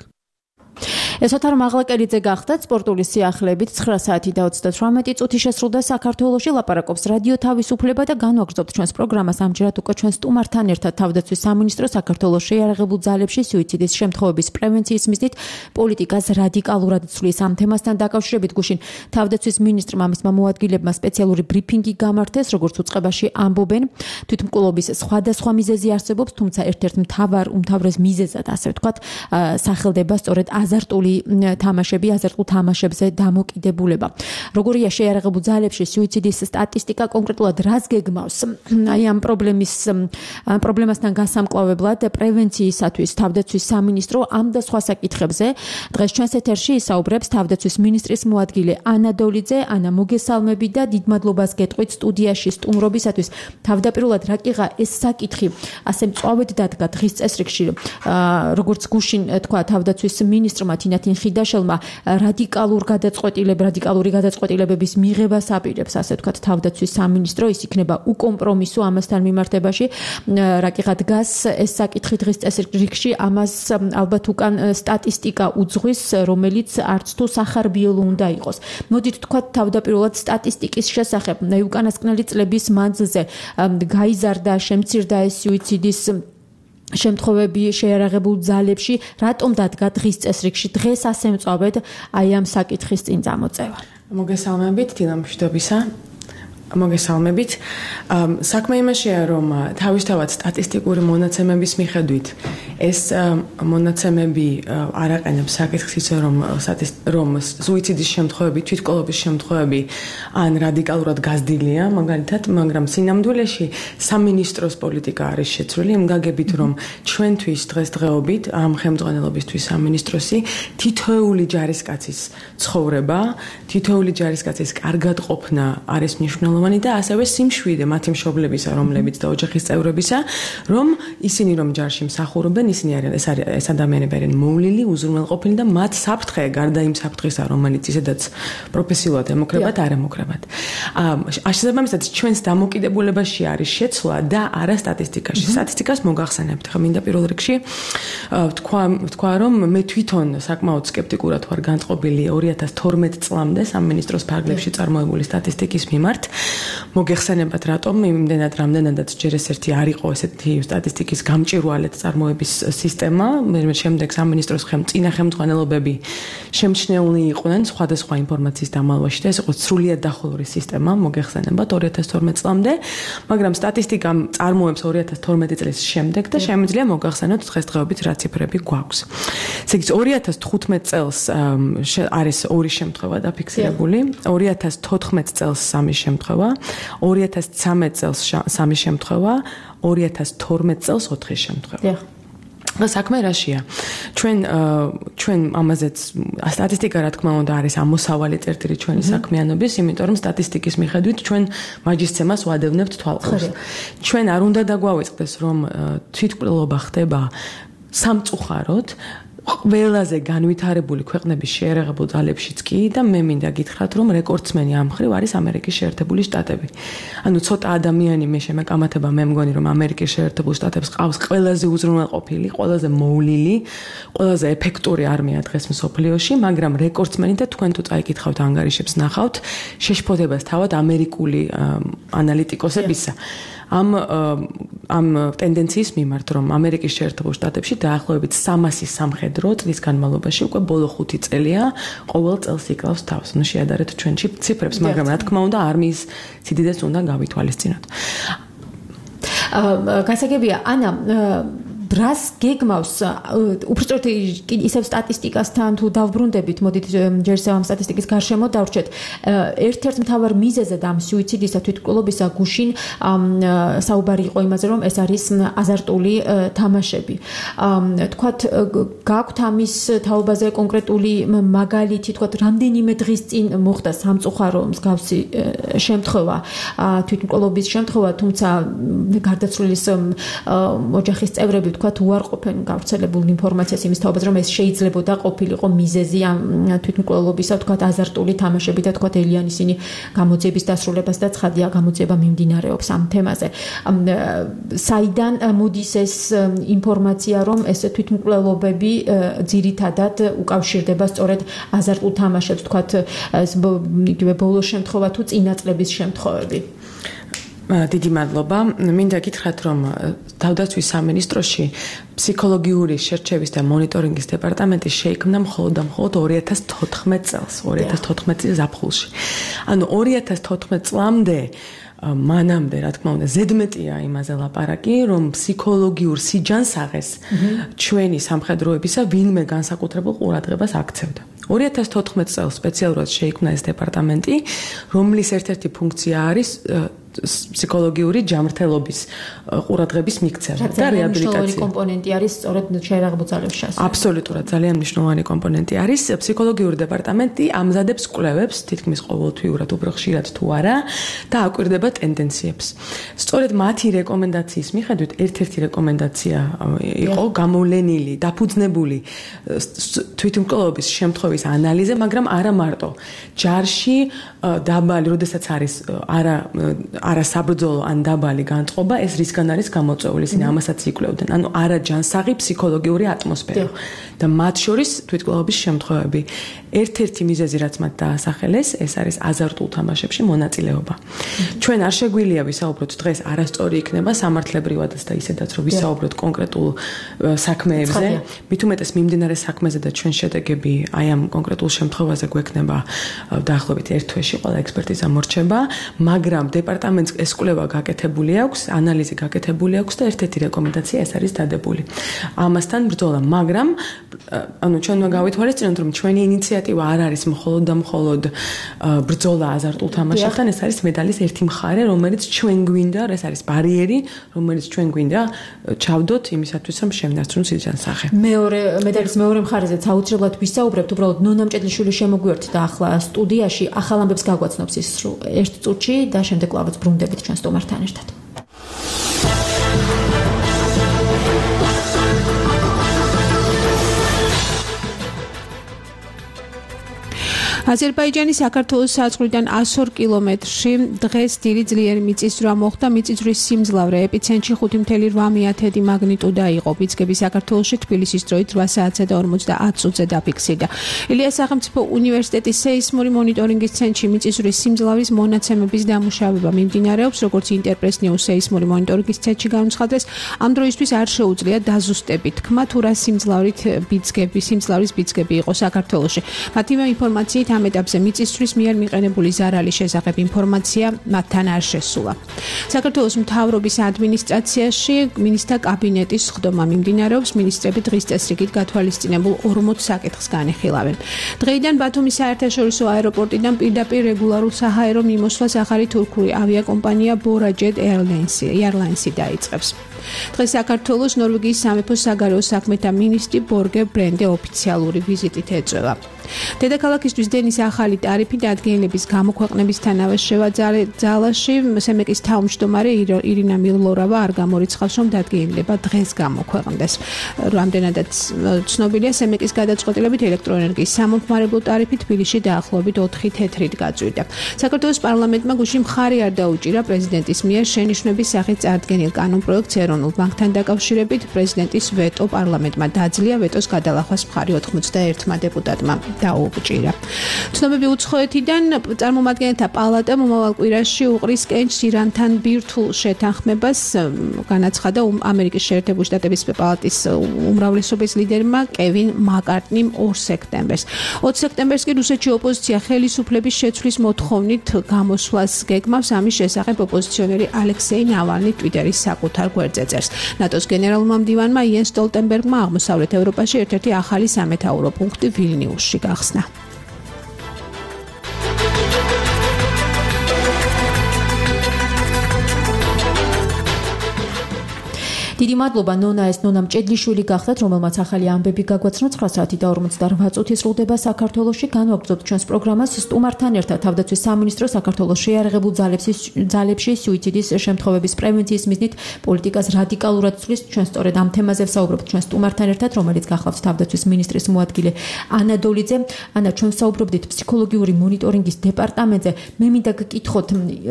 ეს ოთარ მაღლაკელიძე გახდათ სპორტული სიახლეებით ცხრა საათი და ოცდათვრამეტი წუთი შესრულდა საქართველოში. ლაპარაკობს რადიო თავისუფლება და განვაგრძობთ ჩვენს პროგრამას ამჯერად უკვე ჩვენ სტუმართან ერთად თავდაცვის სამინისტრო საქართველოს შეიარაღებულ ძალებში სუიციდის შემთხვევების პრევენციის მიზნით პოლიტიკას რადიკალურად ცვლის. ამ თემასთან დაკავშირებით გუშინ თავდაცვის მინისტრმა მისმა მოადგილებმა სპეციალური ბრიფინგი გამართეს, როგორც უწყებაში ამბობენ. თვითმკვლობის სხვადასხვა მიზეზი არსებობს, თუმცა ერთ-ერთ მთავარ უმთავრეს მიზეზად, ასე ვთქვათ, სახელდება სწორედ აზარტული აზარტული თამაშები, აზარტულ თამაშებზე დამოკიდებულება. როგორია შეიარაღებულ ძალებში სუიციდის სტატისტიკა, კონკრეტულად რას გეგმავს? აი ამ პრობლემის პრობლემასთან გასამკლავებლად პრევენციისათვის თავდაცვის სამინისტრო ამ და სხვა საკითხებზე დღეს ჩვენს ეთერში ისაუბრებს თავდაცვის მინისტრის მოადგილე ანა დოლიძე. ანა, მოგესალმები და დიდ მადლობას გეტყვით სტუდიაში სტუმრობისათვის. თავდაპირველად რა კიღა ეს საკითხი ასე მწვავედ დადგა დღის წესრიგში, როგორც გუშინ თქვა თავდაცვის მინისტრმა თინათინ ხიდაშელმა, რადიკალურ გადაწყვეტილებ რადიკალური გადაწყვეტილებების მიღებას აპირებს, ასე ვთქვათ, თავდაცვის სამინისტრო. ის იქნება უკომპრომისო ამასთან მიმართებაში. რა კიღა დგას ეს საკითხი დღის წესრიგში, ამას ალბათ უკან სტატისტიკა უძღვის, რომელიც არც თუ სახარბიელო უნდა იყოს. მოდით თქვათ თავდაპირველად სტატისტიკის შესახებ, უკანასკნელი წლების მანძილზე გაიზარდა, შემცირდა ეს სუიციდის შემთხვევები შეიარაღებულ ძალებში, რატომ დადგა დღის წესრიგში დღეს ასე მწვავედ აი ამ საკითხის წინ წამოწევა? მოგესალმებით, დილა მშვიდობისა. მოგესალმებით. საქმე იმაშია, რომ თავისთავად სტატისტიკური მონაცემების მიხედვით ეს მონაცემები არ აყენებს საკითხს ისე, რომ რომ სუიციდის შემთხვევები, თვითკვლეობის შემთხვევები ან რადიკალურად გაზრდილია, მაგალითად, მაგრამ სინამდვილეში სამინისტროს პოლიტიკა არის შეცვლილი იმ გაგებით, რომ ჩვენთვის დღესდღეობით ამ ხელმძღვანელობისთვის სამინისტროსი თითოეული ჯარისკაცის ცხოვრება, თითოეული ჯარისკაცის კარგად ყოფნა არის მნიშვნელოვანი და ასევე სიმშვიდე მათი მშობლებისა, რომლებიც და ოჯახის წევრებისა, რომ ისინი რომ ჯარში მსახურობენ, ისინი არიან ეს არის ეს ადამიანები არიან მოვლილი, უზრუნველყოფილი და მათ საფრთხე გარდა იმ საფრთხისა, რომელიც ისედაც პროფესიულად ემუქრებათ, არ ემუქრებათ. აა შესაბამისად ჩვენს დამოკიდებულებაში არის შეცვლა და არა სტატისტიკაში. სტატისტიკას მოგახსენებთ, ხა მინდა პირველ რიგში თქვა თქვა რომ მე თვითონ საკმაოდ სკეპტიკურად ვარ განწყობილი ორი ათას თორმეტ წლამდე სამინისტროს ფარგლებში წარმოებული სტატისტიკის მიმართ. მოგეხსენებათ რატომ იმდენად რამდენადაც ჯერ ეს ერთი არ იყო ესეთი სტატისტიკის გამჭვირვალედ წარმოების სისტემა, მე შემდეგ სამინისტროს წინა ხელმძღვანელობები შემჩნეული იყვნენ სხვადასხვა ინფორმაციის დამალვაში და ეს იყო სრულიად დახურული სისტემა, მოგეხსენებათ ორი ათას თორმეტ წლამდე, მაგრამ სტატისტიკა წარმოებს ორი ათას თორმეტი წლის შემდეგ და შემიძლია მოგახსენოთ დღესდღეობით რა ციფრები გვაქვს. ესე იგი ორი ათას თხუთმეტ წელს არის ორი შემთხვევა დაფიქსირებული, ორი ათას თოთხმეტ წელს სამი შემთხვევა, ორი ათას ცხრამეტ წელს სამი შემთხვევა, ორი ათას თორმეტ წელს ოთხი შემთხვევა. საქმე რაშია? ჩვენ ჩვენ ამაზეც სტატისტიკა რა თქმა უნდა არის ამოსავალი წერტილი ჩვენი საქმიანობის, იმიტომ რომ სტატისტიკის მიხედვით ჩვენ მაჯისცემას ვადევნებთ თვალყურს. ჩვენ არ უნდა დაგვავიწყდეს, რომ თვითკვლელობა ხდება სამწუხაროდ ყველაზე განვითარებული ქვეყნების შეიარაღებულ ძალებშიც კი და მე მინდა გითხრათ, რომ რეკორდსმენი ამ მხრივ არის ამერიკის შეერთებული შტატები. ანუ ცოტა ადამიანი მე შემეკამათება, მე მგონი რომ ამერიკის შეერთებულ შტატებს ყავს ყველაზე უზრუნველყოფილი, ყველაზე მოვლილი, ყველაზე ეფექტური არმია დღეს მსოფლიოში, მაგრამ რეკორდსმენი და თქვენ თუ წაიკითხავთ ანგარიშებს ნახავთ, შეშფოთებას თავად ამერიკული ანალიტიკოსებისა. ამ ამ ტენდენციის მიმართ, რომ ამერიკის შეერთებულ შტატებში დაახლოებით სამასი სამხედრო წლის განმავლობაში უკვე ბოლო ხუთი წელია ყოველ წელს იკლავს თავს. ნუ შეადარეთ ჩვენში ციფრებს, მაგრამ რა თქმა უნდა არმიის სიდიდეს უნდა გავითვალისწინოთ. გასაგებია, ანა, რას გეგმავს უბრალოდ ისევ სტატისტიკასთან თუ დავბრუნდებით, მოდით ჯერ ისევ ამ სტატისტიკის გარშემო დავრჩეთ. ერთ-ერთ მთავარ მიზეზად ამ სუიციდისა თვითკვლელობისა გუშინ საუბარი იყო იმაზე, რომ ეს არის აზარტული თამაშები. თქვათ, გაქვთ ამის თაობაზე კონკრეტული მაგალითი, თქვათ, რამდენიმე დღის წინ მოხდა სამწუხარო მსგავსი შემთხვევა, თვითკვლელობის შემთხვევა, თუმცა გარდაცვლილის ოჯახის წევრები თქვათ უარყოფენ გავრცელებულ ინფორმაციას იმის თაობაზე, რომ ეს შეიძლებოდა ყოფილიყო მიზეზი ამ თვითმკვლელობისა, თქვათ აზარტული თამაშები და თქვათ ელიან ისინი გამოძიების დასრულებას და ცხადია გამოძიება მიმდინარეობს ამ თემაზე. საიდან მოდის ეს ინფორმაცია, რომ ეს თვითმკვლელობები ძირითადად უკავშირდება სწორედ აზარტულ თამაშებს, თქვათ იგივე ბოლო შემთხვევა თუ წინა წლების შემთხვევები? დიდი მადლობა. მინდა გითხრათ, რომ თავდაცვის სამინისტროში ფსიქოლოგიური შერჩევის და მონიტორინგის დეპარტამენტი შეიქმნა მხოლოდ და მხოლოდ ორი ათას თოთხმეტ წელს, ორი ათას თოთხმეტ წლის ზაფხულში. ანუ ორი ათას თოთხმეტ წლამდე მანამდე რა თქმა უნდა ზედმეტია იმაზე ლაპარაკი, რომ ფსიქოლოგიურ სიჯანსაღეს ჩვენი სამხედროებისა ვინმე განსაკუთრებულ ყურადღებას აქცევდა. ორი ათას თოთხმეტ წელს სპეციალურად შეიქმნა ეს დეპარტამენტი, რომლის ერთ-ერთი ფუნქცია არის ფსიქოლოგიური ჯანმრთელობის ყურადღების მიქცევა და რეაბილიტაცია. მნიშვნელოვანი კომპონენტი არის სწორედ შეერაღებულ ძალებს შესახებ. აბსოლუტურად ძალიან მნიშვნელოვანი კომპონენტი არის. ფსიქოლოგიური დეპარტამენტი ამზადებს კვლევებს, თითქმის ყოველთვიურად, უფრო ხშირად თუ არა და აკვირდება ტენდენციებს. სწორედ მათი რეკომენდაციის მიხედვით ერთ-ერთი რეკომენდაცია იყო გამოვლენილი, დაფუძნებული თვითმკვლელობის შემთხვევის ანალიზე, მაგრამ არა მარტო. ჯარში დაბალი, როდესაც არის არა არასაბრძოლო ან დაბალი განწყობა, ეს რისგან არის გამოწვეული, ისინი ამასაც იკვლევდნენ. ანუ არაჯანსაღი ფსიქოლოგიური ატმოსფერო და მათ შორის თვითმკვლელობის შემთხვევები. ერთ-ერთი მიზეზი, რაც მათ დაასახელეს, ეს არის აზარტულ თამაშებში მონაწილეობა. ჩვენ არ შეგვიძლია ვისაუბროთ დღეს არასწორი იქნება სამართლებრივადაც და ისედაც რომ ვისაუბროთ კონკრეტულ საქმეებზე, მით უმეტეს მიმდინარე საქმეზე და ჩვენ შედეგები აი ამ კონკრეტულ შემთხვევაზე გვექნება დაახლოებით ერთ თვეში ყველა ექსპერტიზა მორჩება, მაგრამ დეპარტამენტს ეს კვლევა გაკეთებული აქვს, ანალიზი გაკეთებული აქვს და ერთ-ერთი რეკომენდაცია ეს არის დადებული. ამასთან ბრძოლა, მაგრამ ანუ ჩვენ უნდა გავითვალისწინოთ, რომ ჩვენი ინიციატივა არ არის მხოლოდ და მხოლოდ ბრძოლა აზარტულ თამაშებთან, ეს არის მედალის ერთი მხარე, რომელიც ჩვენ გვინდა, ეს არის ბარიერი, რომელიც ჩვენ გვინდა ჩავდოთ იმისათვის, რომ შევინარჩუნოთ სიჯანსაღე. მეორე მედალის მეორე მხარეზეც აუცილებლად ვისაუბრებთ, უბრალოდ ნონა მჭედლიშვილი შემოგვიერთდა ახლა სტუდიაში, ახალ ამბებს გაგვაცნობს ის ერთ წუთში და შემდეგ კლავაც ბრუნდებით ჩვენ სტუმართან ერთად. აზერბაიჯანის საქართველოს საზღვრიდან ას ორ კილომეტრში დღეს დიდი ძლიერი მიწისძვრა მოხდა. მიწისძვრის სიმძლავრე ეპიცენტრში ხუთი მცველი რვა მეათედი მაგნიტუდა იყო. ბიძგები საქართველოში თბილისის დროით რვა საათსა და ორმოცდაათ წუთზე დაფიქსირდა. ილიას სახელმწიფო უნივერსიტეტის სეისმური მონიტორინგის ცენტრში მიწისძვრის სიმძლავრის მონაცემების დამუშავება მიმდინარეობს, როგორც ინტერპრეს-ნიუს სეისმური მონიტორინგის ცენტრში განუცხადეს. ამ დროისთვის არ შეუძლია დაზუსტებით თქმა, თუ რა სიმძლავრით ბიძგები, სიმძლავრის ბიძგები იყო საქართველოში. მათივე ინფორმაციით ამ ეტაპზე მიწისძვრის მიერ მიყენებული ზარალის შესახებ ინფორმაცია მათთან არ შესულა. საქართველოს მთავრობის ადმინისტრაციაში მინისტრთა კაბინეტის სხდომა მიმდინარეობს. მინისტრები დღის წესრიგით გათვალისწინებულ ორმოც საკითხს განიხილავენ. დღეიდან ბათუმის საერთაშორისო აეროპორტიდან პირდაპირ რეგულარულ საჰაერო მიმოსვლას ახალი თურქული ავიაკომპანია Borajet Airlines-ი დაიწყებს. დღეს საქართველოს ნორვეგიის სამეფო საგარეო საქმეთა მინისტრი ბორგერ ბრენდე ოფიციალური ვიზიტით ეწევა. დედაქალაქისთვის დენის ახალი ტარიფი დადგენილების გამოქვეყნებისთანავე შევაძალაში სემეკის თავმჯდომარე ირინა მილლორავა არ გამორიცხავს, რომ დადგენილება დღეს გამოქვეყნდეს. რამდენადაც ცნობილია, სემეკის გადაწყვეტილებით ელექტროენერგიის სამომხმარებლო ტარიფი თბილისში დაახლოებით ოთხი თეთრით გაწვიდა. საქართველოს პარლამენტმა გუშინ მხარი არ დაუჭირა პრეზიდენტის მიერ შენიშვნების სახით წარდგენილ კანონპროექტს ეროვნულ ბანკთან დაკავშირებით. პრეზიდენტის ვეტო პარლამენტმა დაძლია, ვეტოს გადალახვას მხარი ოცდაერთმა დეპუტატმა დაუჭირა. ცნობები უცხოეთიდან წარმომადგენელთა პალატა მომავალ კვირაში უყრის კენჭს ირანთან ბირთვულ შეთანხმებას, განაცხადა ამერიკის შეერთებული შტატების პალატის უმრავლესობის ლიდერმა კევინ მაკარტნიმ ორ სექტემბერს. ოც სექტემბერს კი რუსეთში ოპოზიცია ხელისუფლების შეცვლის მოთხოვნით გამოსვლას გეგმავს. ამის შესახებ ოპოზიციონერი ალექსეი ნავალნი ტვიტერის საკუთარ გვერდზე წერს. ნატოს გენერალურმა მდივანმა იენს სტოლტენბერგმა აღმოსავლეთ ევროპაში ერთ-ერთი ახალი სამეთაურო პუნქტი ვილნიუსში გახსნა. დიდი მადლობა ნონა, ეს ნონა მჭედლიშვილი გახდათ, რომელმაც ახალი ამბები გაგვაცნო. ცხრა საათი და ორმოცდარვა წუთი სრულდება საქართველოში. განვაგრძობთ ჩვენს პროგრამას სტუმართან ერთად. თავდაცვის სამინისტრო საქართველოს შეიარაღებულ ძალებში სუიციდის შემთხვევების პრევენციის მიზნით პოლიტიკას რადიკალურად ცვლის. ჩვენ სწორედ ამ თემაზე ვსაუბრობთ ჩვენ სტუმართან ერთად, რომელიც გახლავთ თავდაცვის მინისტრის მოადგილე ანა დოლიძე. ანა, ჩვენ ვსაუბრობდით ფსიქოლოგიური მონიტორინგის დეპარტამენტზე. მე მინდა გკითხოთ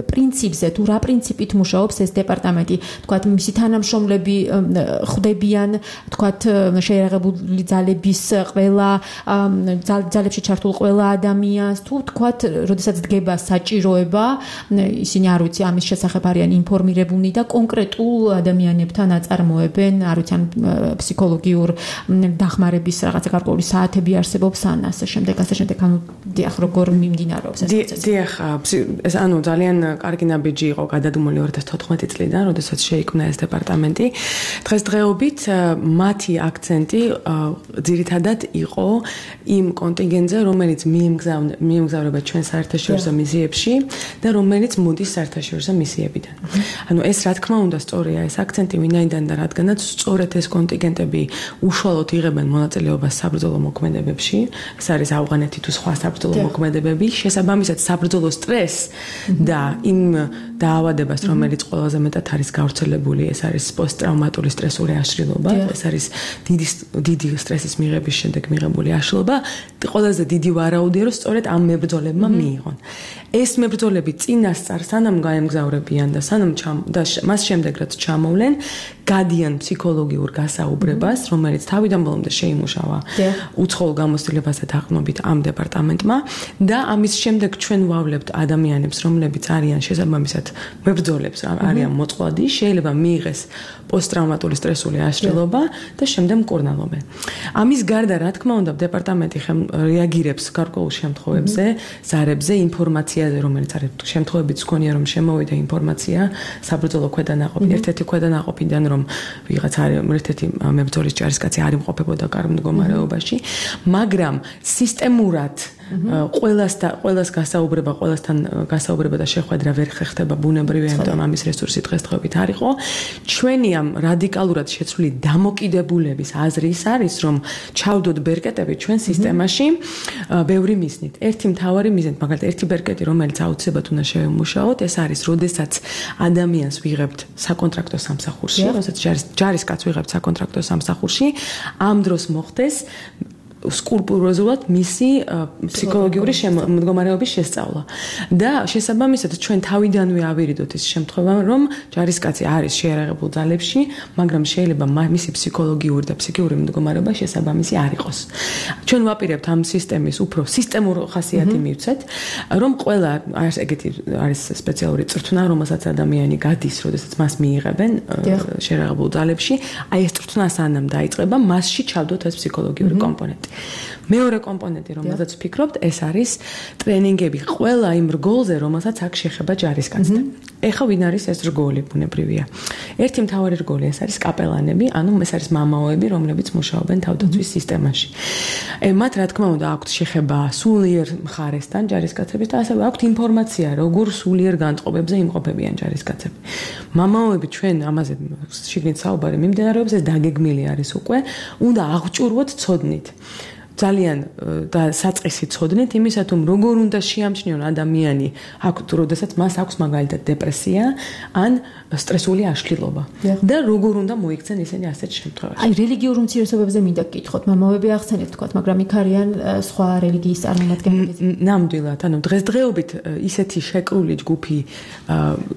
პრინციპზე, თუ რა პრინციპით მუშაობს ეს დეპარტამენტი, თქვათ მისი თანამშრომლები ხვდებიან თქვათ შეერაღებული ძალების ყველა ძალებში ჩართულ ყველა ადამიანს თუ თქვათ როდესაც დგება საჭიროება ისინი არ ვიცი ამის შესახებ არიან ინფორმირებულნი და კონკრეტულ ადამიანებთან აწარმოებენ არ ვიცი ან ფსიქოლოგიურ დახმარების რაღაცა გარკვეული საათები არსებობს ან ასე შემდეგ ასე შემდეგ ანუ დიახ როგორ მიმდინარეობს ეს პროცესი დიახ ეს ანუ ძალიან კარგი ნაბიჯი იყო გადადუმული ორი ათას თოთხმეტი წლიდან როდესაც შეიქმნა ეს დეპარტამენტი დღესდღეობით მათი აქცენტი ძირითადად იყო იმ კონტინგენტზე რომელიც მიემგზავრება ჩვენ საერთაშორისო მისიებში და რომელიც მოდის საერთაშორისო მისიებიდან ანუ ეს რა თქმა უნდა სწორია ეს აქცენტი ვინაიდან და რადგანაც სწორედ ეს კონტინგენტები უშუალოდ იღებენ მონაწილეობას საბრძოლო მოქმედებებში ეს არის ავღანეთი თუ სხვა საბრძოლო მოქმედებები შესაბამისად საბრძოლო სტრესს და იმ დაავადებას რომელიც ყველაზე მეტად არის გავრცელებული ეს არის პოსტტრაუმატული სტრესული აშლილობა ეს არის დიდი დიდი სტრესის მიღების შემდეგ მიღებული აშლილობა ყველაზე დიდი ვარაუდია რომ სწორედ ამ მებრძოლებმა მიიღონ ეს მებრძოლები წინასწარ სანამ გაემგზავრებიან და სანამ და მას შემდეგ რაც ჩამოვლენ გადიან ფსიქოლოგიურ გასაუბრებას რომელიც თავიდან ბოლომდე შეიმუშავა უცხოურ გამოცდილებასთან დაყრდნობით ამ დეპარტამენტმა და ამის შემდეგ ჩვენ ვავლებთ ადამიანებს რომლებიც არიან შესაბამისად მებრძოლებს არიან მოწყვლადი შეიძლება მიიღეს პოსტტრაუმატული სტრესული აშლილობა და შემდეგ მკურნალობენ ამის გარდა რა თქმა უნდა დეპარტამენტი რეაგირებს გარკვეულ შემთხვევებზე ზარებზე ინფორმაციაზე რომელიც არის შემთხვევებიც გქონია რომ შემოვიდა ინფორმაცია საბრძოლო ქვედანაყოფი ერთ-ერთი ქვედანაყოფიდან რომ ვიღაც არის ერთ-ერთი მებრძოლის ჯარისკაცი არ იმყოფებოდა კარგ მდგომარეობაში მაგრამ სისტემურად ყველას და ყველას გასაუბრება ყველასთან გასაუბრება და შეხვედრა ვერ ხერხდება ბუნებრივია ამიტომ ამის რესურსი დღესდღეობით არ იყო ჩვენი ამ რადიკალურად შეცვლილი დამოკიდებულების აზრი ის არის რომ ჩავდოთ ბერკეტები ჩვენ სისტემაში ბევრი მიზნით ერთი მთავარი მიზნით მაგალითად ერთი ბერკეტი რომელიც აუცილებლად უნდა შევემუშაოთ ეს არის როდესაც ადამიანს ვიღებთ საკონტრაქტო სამსახურში როდესაც ჯარისკაცს ვიღებთ საკონტრაქტო სამსახურში ამ დროს მოხდეს სკრუპულოზულად მისი ფსიქოლოგიური მდგომარეობის შესწავლა და შესაბამისად ჩვენ თავიდანვე ავირიდოთ ის შემთხვევა რომ ჯარისკაცი არის შეერაღებულ ძალებში მაგრამ შეიძლება მისი ფსიქოლოგიური და ფსიქიური მდგომარეობა შესაბამისი არ იყოს ჩვენ ვაპირებთ ამ სისტემის უფრო სისტემურ ხასიათი მივცეთ რომ ყველა არის ეგეთი არის სპეციალური წრთნა რომელსაც ადამიანი გადის როდესაც მას მიიღებენ შეერაღებულ ძალებში აი ეს წრთნა სანამ დაიწყება მასში ჩავდოთ ეს ფსიქოლოგიური კომპონენტი მეორე კომპონენტი რომელზეც ვფიქრობთ ეს არის ტრენინგები ყველა იმ რგოლზე რომელსაც აქ შეხება ჯარისკაცთან ეხა ვინ არის ეს რგოლი ბუნებრივია ერთი მთავარი რგოლი ეს არის კაპელანები ანუ ეს არის მამაოები რომლებიც მუშაობენ თავდაცვის სისტემაში მათ რა თქმა უნდა აქვთ შეხება სულიერ მხარესთან ჯარისკაცების და ასევე აქვთ ინფორმაცია როგორ სულიერ განწყობებზე იმყოფებიან ჯარისკაცები მამაოები ჩვენ ამაზე შიგნით საუბარი მიმდინარეობს ეს დაგეგმილი არის უკვე უნდა აღჭურვოთ ცოდნით ძალიან და საწყისი ცოდნით იმისა თუ როგორ უნდა შეამჩნიონ ადამიანი აქ როდესაც მას აქვს მაგალითად დეპრესია ან სტრესული აშლილობა და როგორ უნდა მოიქცენ ისინი ასეთ შემთხვევაში. აი რელიგიურ უმცირესობებზე მინდა გკითხოთ, მამაოები ახსენეთ თქვათ, მაგრამ იქ არიან სხვა რელიგიის წარმომადგენლები. ნამდვილად, ანუ დღესდღეობით ისეთი შეკრული ჯგუფი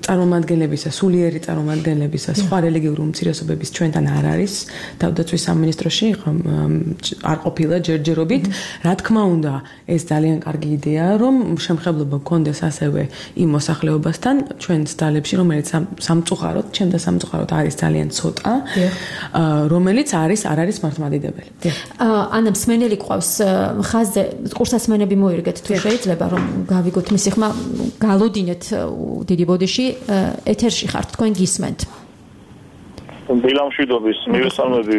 წარმომადგენლებისა, სულიერი წარმომადგენლებისა, სხვა რელიგიურ უმცირესობების ჩვენთან არ არის. თავდაცვის სამინისტროში არ ყოფილა ჯერჯერობით. რა თქმა უნდა, ეს ძალიან კარგი იდეაა, რომ შემხებლობა გქონდეს ასევე იმ მოსახლეობასთან ჩვენს ძალებში, რომელიც სამწუხაროდ, ჩემ და სამწუხაროდ არის ძალიან ცოტა, რომელიც არის არ არის მართლმადიდებელი. ანა მსმენელი ყავს ხაზზე, კურსასმენები მოირგეთ თუ შეიძლება რომ გავიგოთ მისი ხმა, გალოდინეთ დიდი ბოდიში, ეთერში ხართ, თქვენ გისმენთ. დილამშვიდობის მივესალმები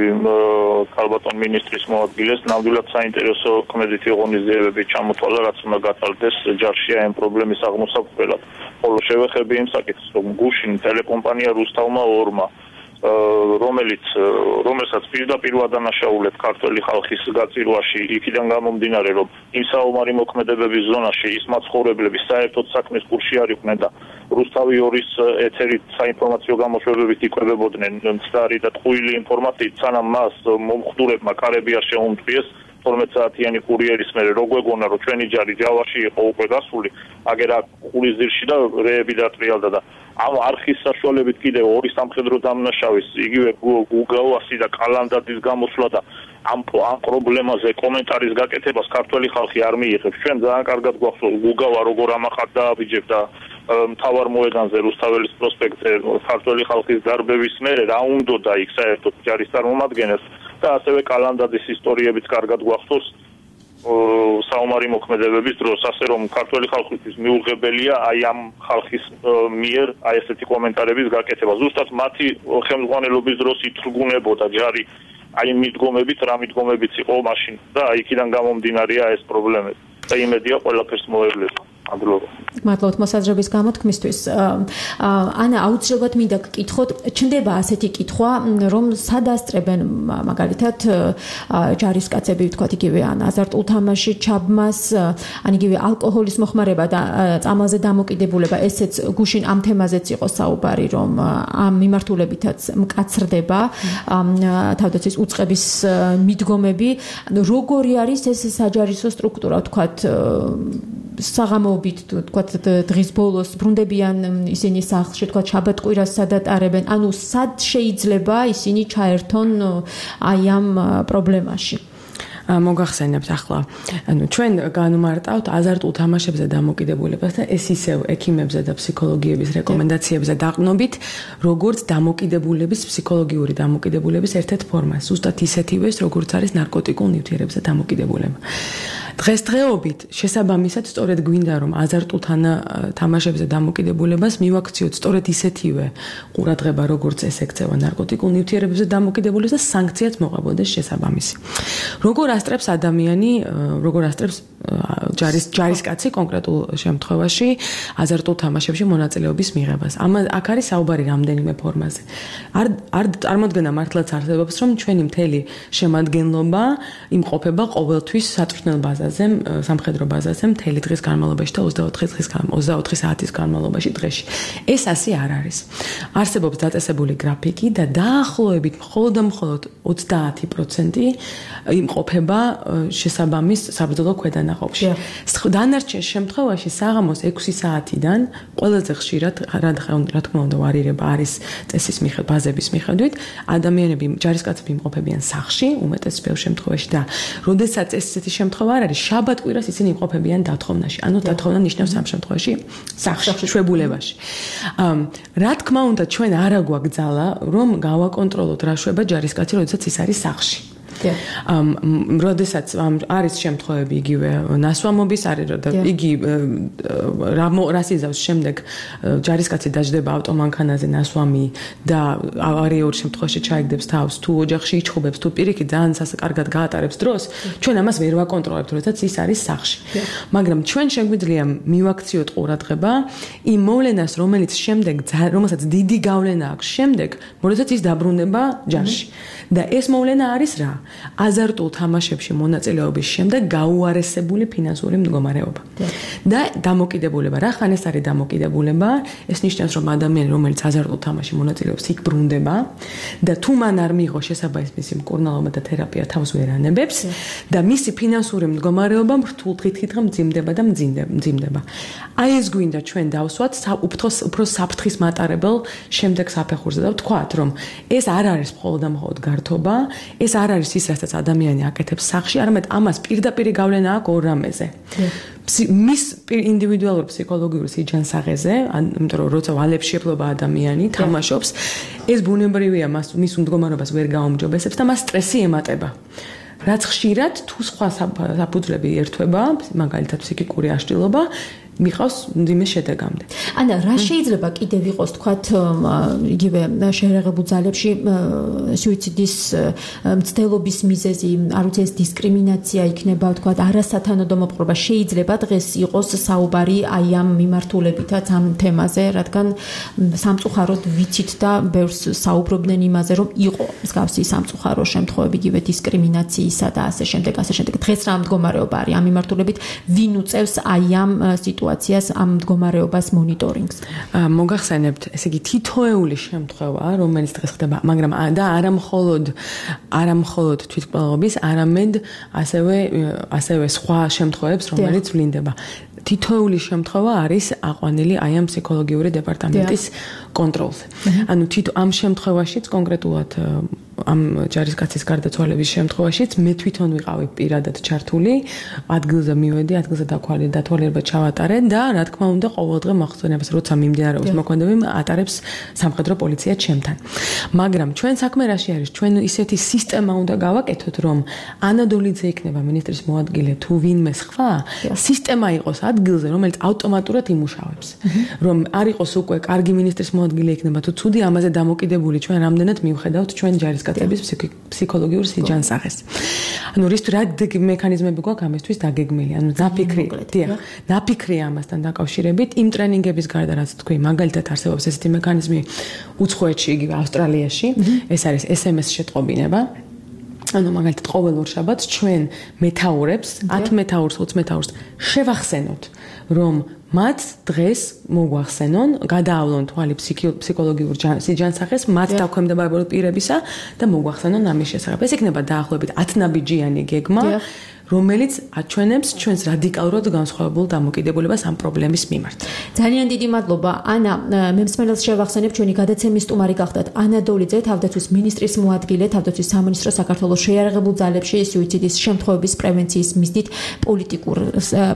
ქალბატონ მინისტრის მოადგილეს. ნამდვილად საინტერესო ქმედითი ღონისძიებები ჩამოთვალა, რაც უნდა გატარდეს ჯარში ამ პრობლემის აღმოსაყრელად. ხოლო შევეხები იმ საკითხს, რომ გუშინ ტელეკომპანია რუსთავმა ორმა რომელიც რომელსაც პირდაპირ ვადანაშაულეთ ქართველი ხალხის გაწირვაში, იქიდან გამომდინარე, რომ იმ საომარი მოქმედებების ზონაში ის მაცხოვრებლები საერთოდ საქმის კურსში არ იყვნენ და რუსთავი ორის ეთერით საინფორმაციო გამოშვებებით იკვებებოდნენ მცდარი და ტყუილი ინფორმაციით, სანამ მას მომხდურებმა კარები არ შეუმტყიეს თორმეტ საათიანი კურიერის მერე რო გვეგონა რომ ჩვენი ჯარი ჯავაში იყო უკვე გასული, აგერ აქ ყურის ძირში და რეები დატრიალდა და ამ არხის საშუალებით კიდევ ორი სამხედრო დამნაშავის იგივე გუგავასი და კალანდაძის გამოსვლა და ამ ამ პრობლემაზე კომენტარის გაკეთებას ქართველი ხალხი არ მიიღებს. ჩვენ ძალიან კარგად გვახსოვს გუგავა როგორ ამახად დააბიჯებდა მთავარ მოედანზე რუსთაველის პროსპექტზე ქართველი ხალხის დარბევის მერე რა უნდოდა იქ საერთოდ ჯარის წარმომადგენელს და ასევე კალანდაძის ისტორიებიც კარგად გვახსოვს საომარი მოქმედებების დროს, ასე რომ ქართველი ხალხისთვის მიუღებელია აი ამ ხალხის მიერ აი ესეთი კომენტარების გაკეთება. ზუსტად მათი ხელმძღვანელობის დროს ითრგუნებოდა ჯარი აი მიდგომებით, რა მიდგომებიც იყო მაშინ და აი იქიდან გამომდინარეა ეს პრობლემები. და იმედია ყველაფერს მოევლება. ადროვა. მადლობთ მოსაზრების გამოთქმისთვის. ანა, აუცილებლად მინდა გკითხოთ, ჩნდება ასეთი კითხვა, რომ სადასწრებენ მაგალითად ჯარისკაცები, ვთქვათ, იგივე ან აზარტულ თამაში ჩაბმას, ან იგივე ალკოჰოლის მოხმარება და წამალზე დამოკიდებულება, ესეც გუშინ ამ თემაზეც იყო საუბარი, რომ ამ მიმართულებითაც მკაცრდება თავდაცვის უწყების მიდგომები. როგორი არის ეს საჯარისო სტრუქტურა, ვთქვათ, საღამოობით თქვათ დღის ბოლოს ბრუნდებიან ისინი სახლში თქვათ შაბათ-კვირას სადატარებენ ანუ სად შეიძლება ისინი ჩაერთონ აი ამ პრობლემაში მოგახსენებთ ახლა ანუ ჩვენ განვმარტავთ აზარტულ თამაშებზე დამოკიდებულებას და ეს ისევ ექიმებზე და ფსიქოლოგიების რეკომენდაციებზე დაყრდნობით როგორც დამოკიდებულების ფსიქოლოგიური დამოკიდებულების ერთ-ერთ ფორმას ზუსტად ისეთივეს როგორც არის ნარკოტიკულ ნივთიერებზე დამოკიდებულება დღესდღეობით შესაბამისად სწორედ გვინდა რომ აზარტულ თამაშებზე დამოკიდებულებას მივაქციოთ სწორედ ისეთივე ყურადღება როგორც ეს ექცევა ნარკოტიკულ ნივთიერებებზე დამოკიდებულებას და სანქციაც მოყვებოდეს შესაბამისი როგორ ასწრებს ადამიანი როგორ ასწრებს ჯარის ჯარისკაცი კონკრეტულ შემთხვევაში აზარტულ თამაშებში მონაწილეობის მიღებას ამ აქ არის საუბარი რამდენიმე ფორმაზე არ არ წარმოდგენა მართლაც არსებობს რომ ჩვენი მთელი შემადგენლობა იმყოფება ყოველთვის საწვრთნელ ბაზაზე სამხედრო ბაზაზე მთელი დღის განმავლობაში და ოცდაოთხი დღის ოცდაოთხი საათის განმავლობაში დღეში ეს ასე არ არის არსებობს დაწესებული გრაფიკი და დაახლოებით მხოლოდ და მხოლოდ ოცდაათი პროცენტი იმყოფება შესაბამის საბრძოლო ქვედანაყოფში. დანარჩენ შემთხვევაში საღამოს ექვსი საათიდან ყველაზე ხშირად რა თქმა უნდა ვარირება არის წესის მიხედვით, ბაზების მიხედვით, ადამიანები ჯარისკაცები იმყოფებიან სახლში, უმეტეს ბევრ შემთხვევაში და როდესაც ესეთი შემთხვევა არ არის, შაბათ-კვირას ისინი იმყოფებიან დათხოვნაში. ანუ დათხოვნა ნიშნავს ამ შემთხვევაში სახლში, შვებულებაში. რა თქმა უნდა, ჩვენ არა გვაგზალა, რომ გავაკონტროლოთ რა შვება ჯარისკაცი, როდესაც ის არის სახლში. ამ როდესაც არის შემთხვევები იგივე ნასვამობის არის და იგი რას იზავს შემდეგ ჯარისკაცი დაждდება ავტომანქანაზე ნასვამი და ავარიულ შემთხვევაში ჩაიგდებს თავს თუ ოჯახში იჩხუბებს თუ პირიქით ძალიან სასაკარგად გაატარებს დროს ჩვენ ამას ვერ ვაკონტროლებთ როდესაც ის არის სახლში მაგრამ ჩვენ შეგვიძლია მივაქციოთ ყურადღება იმ მოვლენას რომელიც შემდეგ რომელსაც დიდი გავლენა აქვს შემდეგ როდესაც ის დაბრუნდება ჯარში და ეს მოვლენა არის რა აზარტულ თამაშებში მონაწილეობის შემდეგ გაუარესებული ფინანსური მდგომარეობა და დამოკიდებულება რა ხან ეს არის დამოკიდებულება ეს ნიშნავს რომ ადამიანი რომელიც აზარტულ თამაში მონაწილეობს იქ ბრუნდება და თუ მან არ მიიღო შესაბამისი მკურნალობა და თერაპია თავს ვერ ანებებს და მისი ფინანსური მდგომარეობა რთულ დღით-დღით მძიმდება და მძიმდება აი ეს გვინდა ჩვენ დავსვათ უფრო უფრო საფრთხის მატარებელ შემდეგ საფეხურზე და ვთქვათ რომ ეს არ არის მხოლოდ და მხოლოდ გართობა ეს არ არის ის რასაც ადამიანი აკეთებს სახლში, არამედ ამას პირდაპირ გავლენა აქვს ორ რამეზე. მის ინდივიდუალურ ფსიქოლოგიურ სიჯანსაღეზე, იმიტომ რომ როცა ვალებში ადამიანი თამაშობს, ეს ბუნებრივია, მის მდგომარეობას ვერ გაუმჯობესებს და მას სტრესი ემატება. რაც ხშირად თუ სხვა საფუძვლები ერთვება, მაგალითად ფსიქიკური აშლილობა მიყავს მძიმე შედეგამდე. ანა, რა შეიძლება კიდევ იყოს, თქვათ, იგივე შეერაღებულ ძალებში სუიციდის მცდელობის მიზეზი, არ ვიცი, ეს დისკრიმინაცია იქნება, თქვათ, არასათანადო მოპყრობა შეიძლება დღეს იყოს საუბარი აი ამ მიმართულებითაც ამ თემაზე, რადგან სამწუხაროდ ვიცით და ბევრს საუბრობდნენ იმაზე, რომ იყო მსგავსი სამწუხარო შემთხვევები, იგივე დისკრიმინაციისა და ასე შემდეგ, ასე შემდეგ. დღეს რა მდგომარეობა არის ამ მიმართულებით, ვინ უწევს აი ამ სიტუაციას ამ მდგომარეობას მონიტორინგს. მოგახსენებთ, ესე იგი თითოეული შემთხვევა, რომელიც დღეს ხდება, მაგრამ და არა მხოლოდ არა მხოლოდ თვითმკვლელობის, არამედ ასევე ასევე სხვა შემთხვევებს, რომელიც ვლინდება. თითოეული შემთხვევა არის აყვანილი აი ამ ფსიქოლოგიური დეპარტამენტის კონტროლზე. ანუ თითო ამ შემთხვევაშიც კონკრეტულად ამ ჯარისკაცის გარდაცვალების შემთხვევაშიც მე თვითონ ვიყავი პირადად ჩართული, ადგილზე მივედი, ადგილზე დათვალიერება დათვალიერება ჩავატარე და რა თქმა უნდა ყოველდღე მოხსენებას როცა მიმდინარეობს მოქმედებები ატარებს სამხედრო პოლიცია ჩემთან. მაგრამ ჩვენ საქმე რაში არის? ჩვენ ისეთი სისტემა უნდა გავაკეთოთ, რომ ანადოლიძე იქნება მინისტრის მოადგილე თუ ვინმე სხვა, სისტემა იყოს ადგილზე, რომელიც ავტომატურად იმუშავებს. რომ არ იყოს უკვე კარგი მინისტრის მოადგილე იქნება თუ ცუდი, ამაზე დამოკიდებული ჩვენ რამდენად მივხედავთ ჩვენ ჯარისკაცების ფსიქოლოგიურ სიჯანსაღეს. ანუ რის რა მექანიზმები გვაქვს ამისთვის დაგეგმილი? ანუ ნაფიქრი, დიახ, ნაფიქრი ამასთან დაკავშირებით იმ ტრენინგების გარდა რაც თქვი, მაგალითად არსებობს ესეთი მექანიზმი უცხოეთში, იგივე ავსტრალიაში, ეს არის ეს ემ ეს შეტყობინება. ანუ მაგალითად ყოველ ორ შაბათს ჩვენ მეთაურებს, ათ მეთაურს, ოცი მეთაურს შევახსენოთ, რომ მათ დღეს მოგვახსენონ, გადაავლონ თვალი ფსიქოლოგიურ სიჯანსაღეს, მათ დაქვემდებარებულ პირებისა და მოგვახსენონ ამის შესახებ. ეს იქნება დაახლოებით ათნაბიჯიანი გეგმა, რომელიც აჩვენებს ჩვენს რადიკალურად განსხვავებულ დამოკიდებულებას ამ პრობლემის მიმართ. ძალიან დიდი მადლობა. ანა, მე მსმენელს შევახსენებ, ჩვენი გადაცემის სტუმარი გახდათ ანა დოლიძე, თავდაცვის მინისტრის მოადგილე, თავდაცვის სამინისტრო საქართველოს შეიარაღებულ ძალებში სუიციდის შემთხვევების პრევენციის მიზნით პოლიტიკურ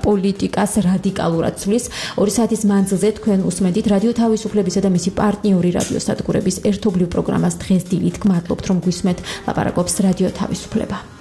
პოლიტიკას რადიკალურად ცვლის. ორი საათის მანძილზე თქვენ უსმენთ რადიო თავისუფლებისა და მისი პარტნიორი რადიო სადგურების ერთობლივ პროგრამას დღეს დილით. გმადლობთ, რომ გვისმენთ. ლაპარაკობს რადიო თავისუფლება.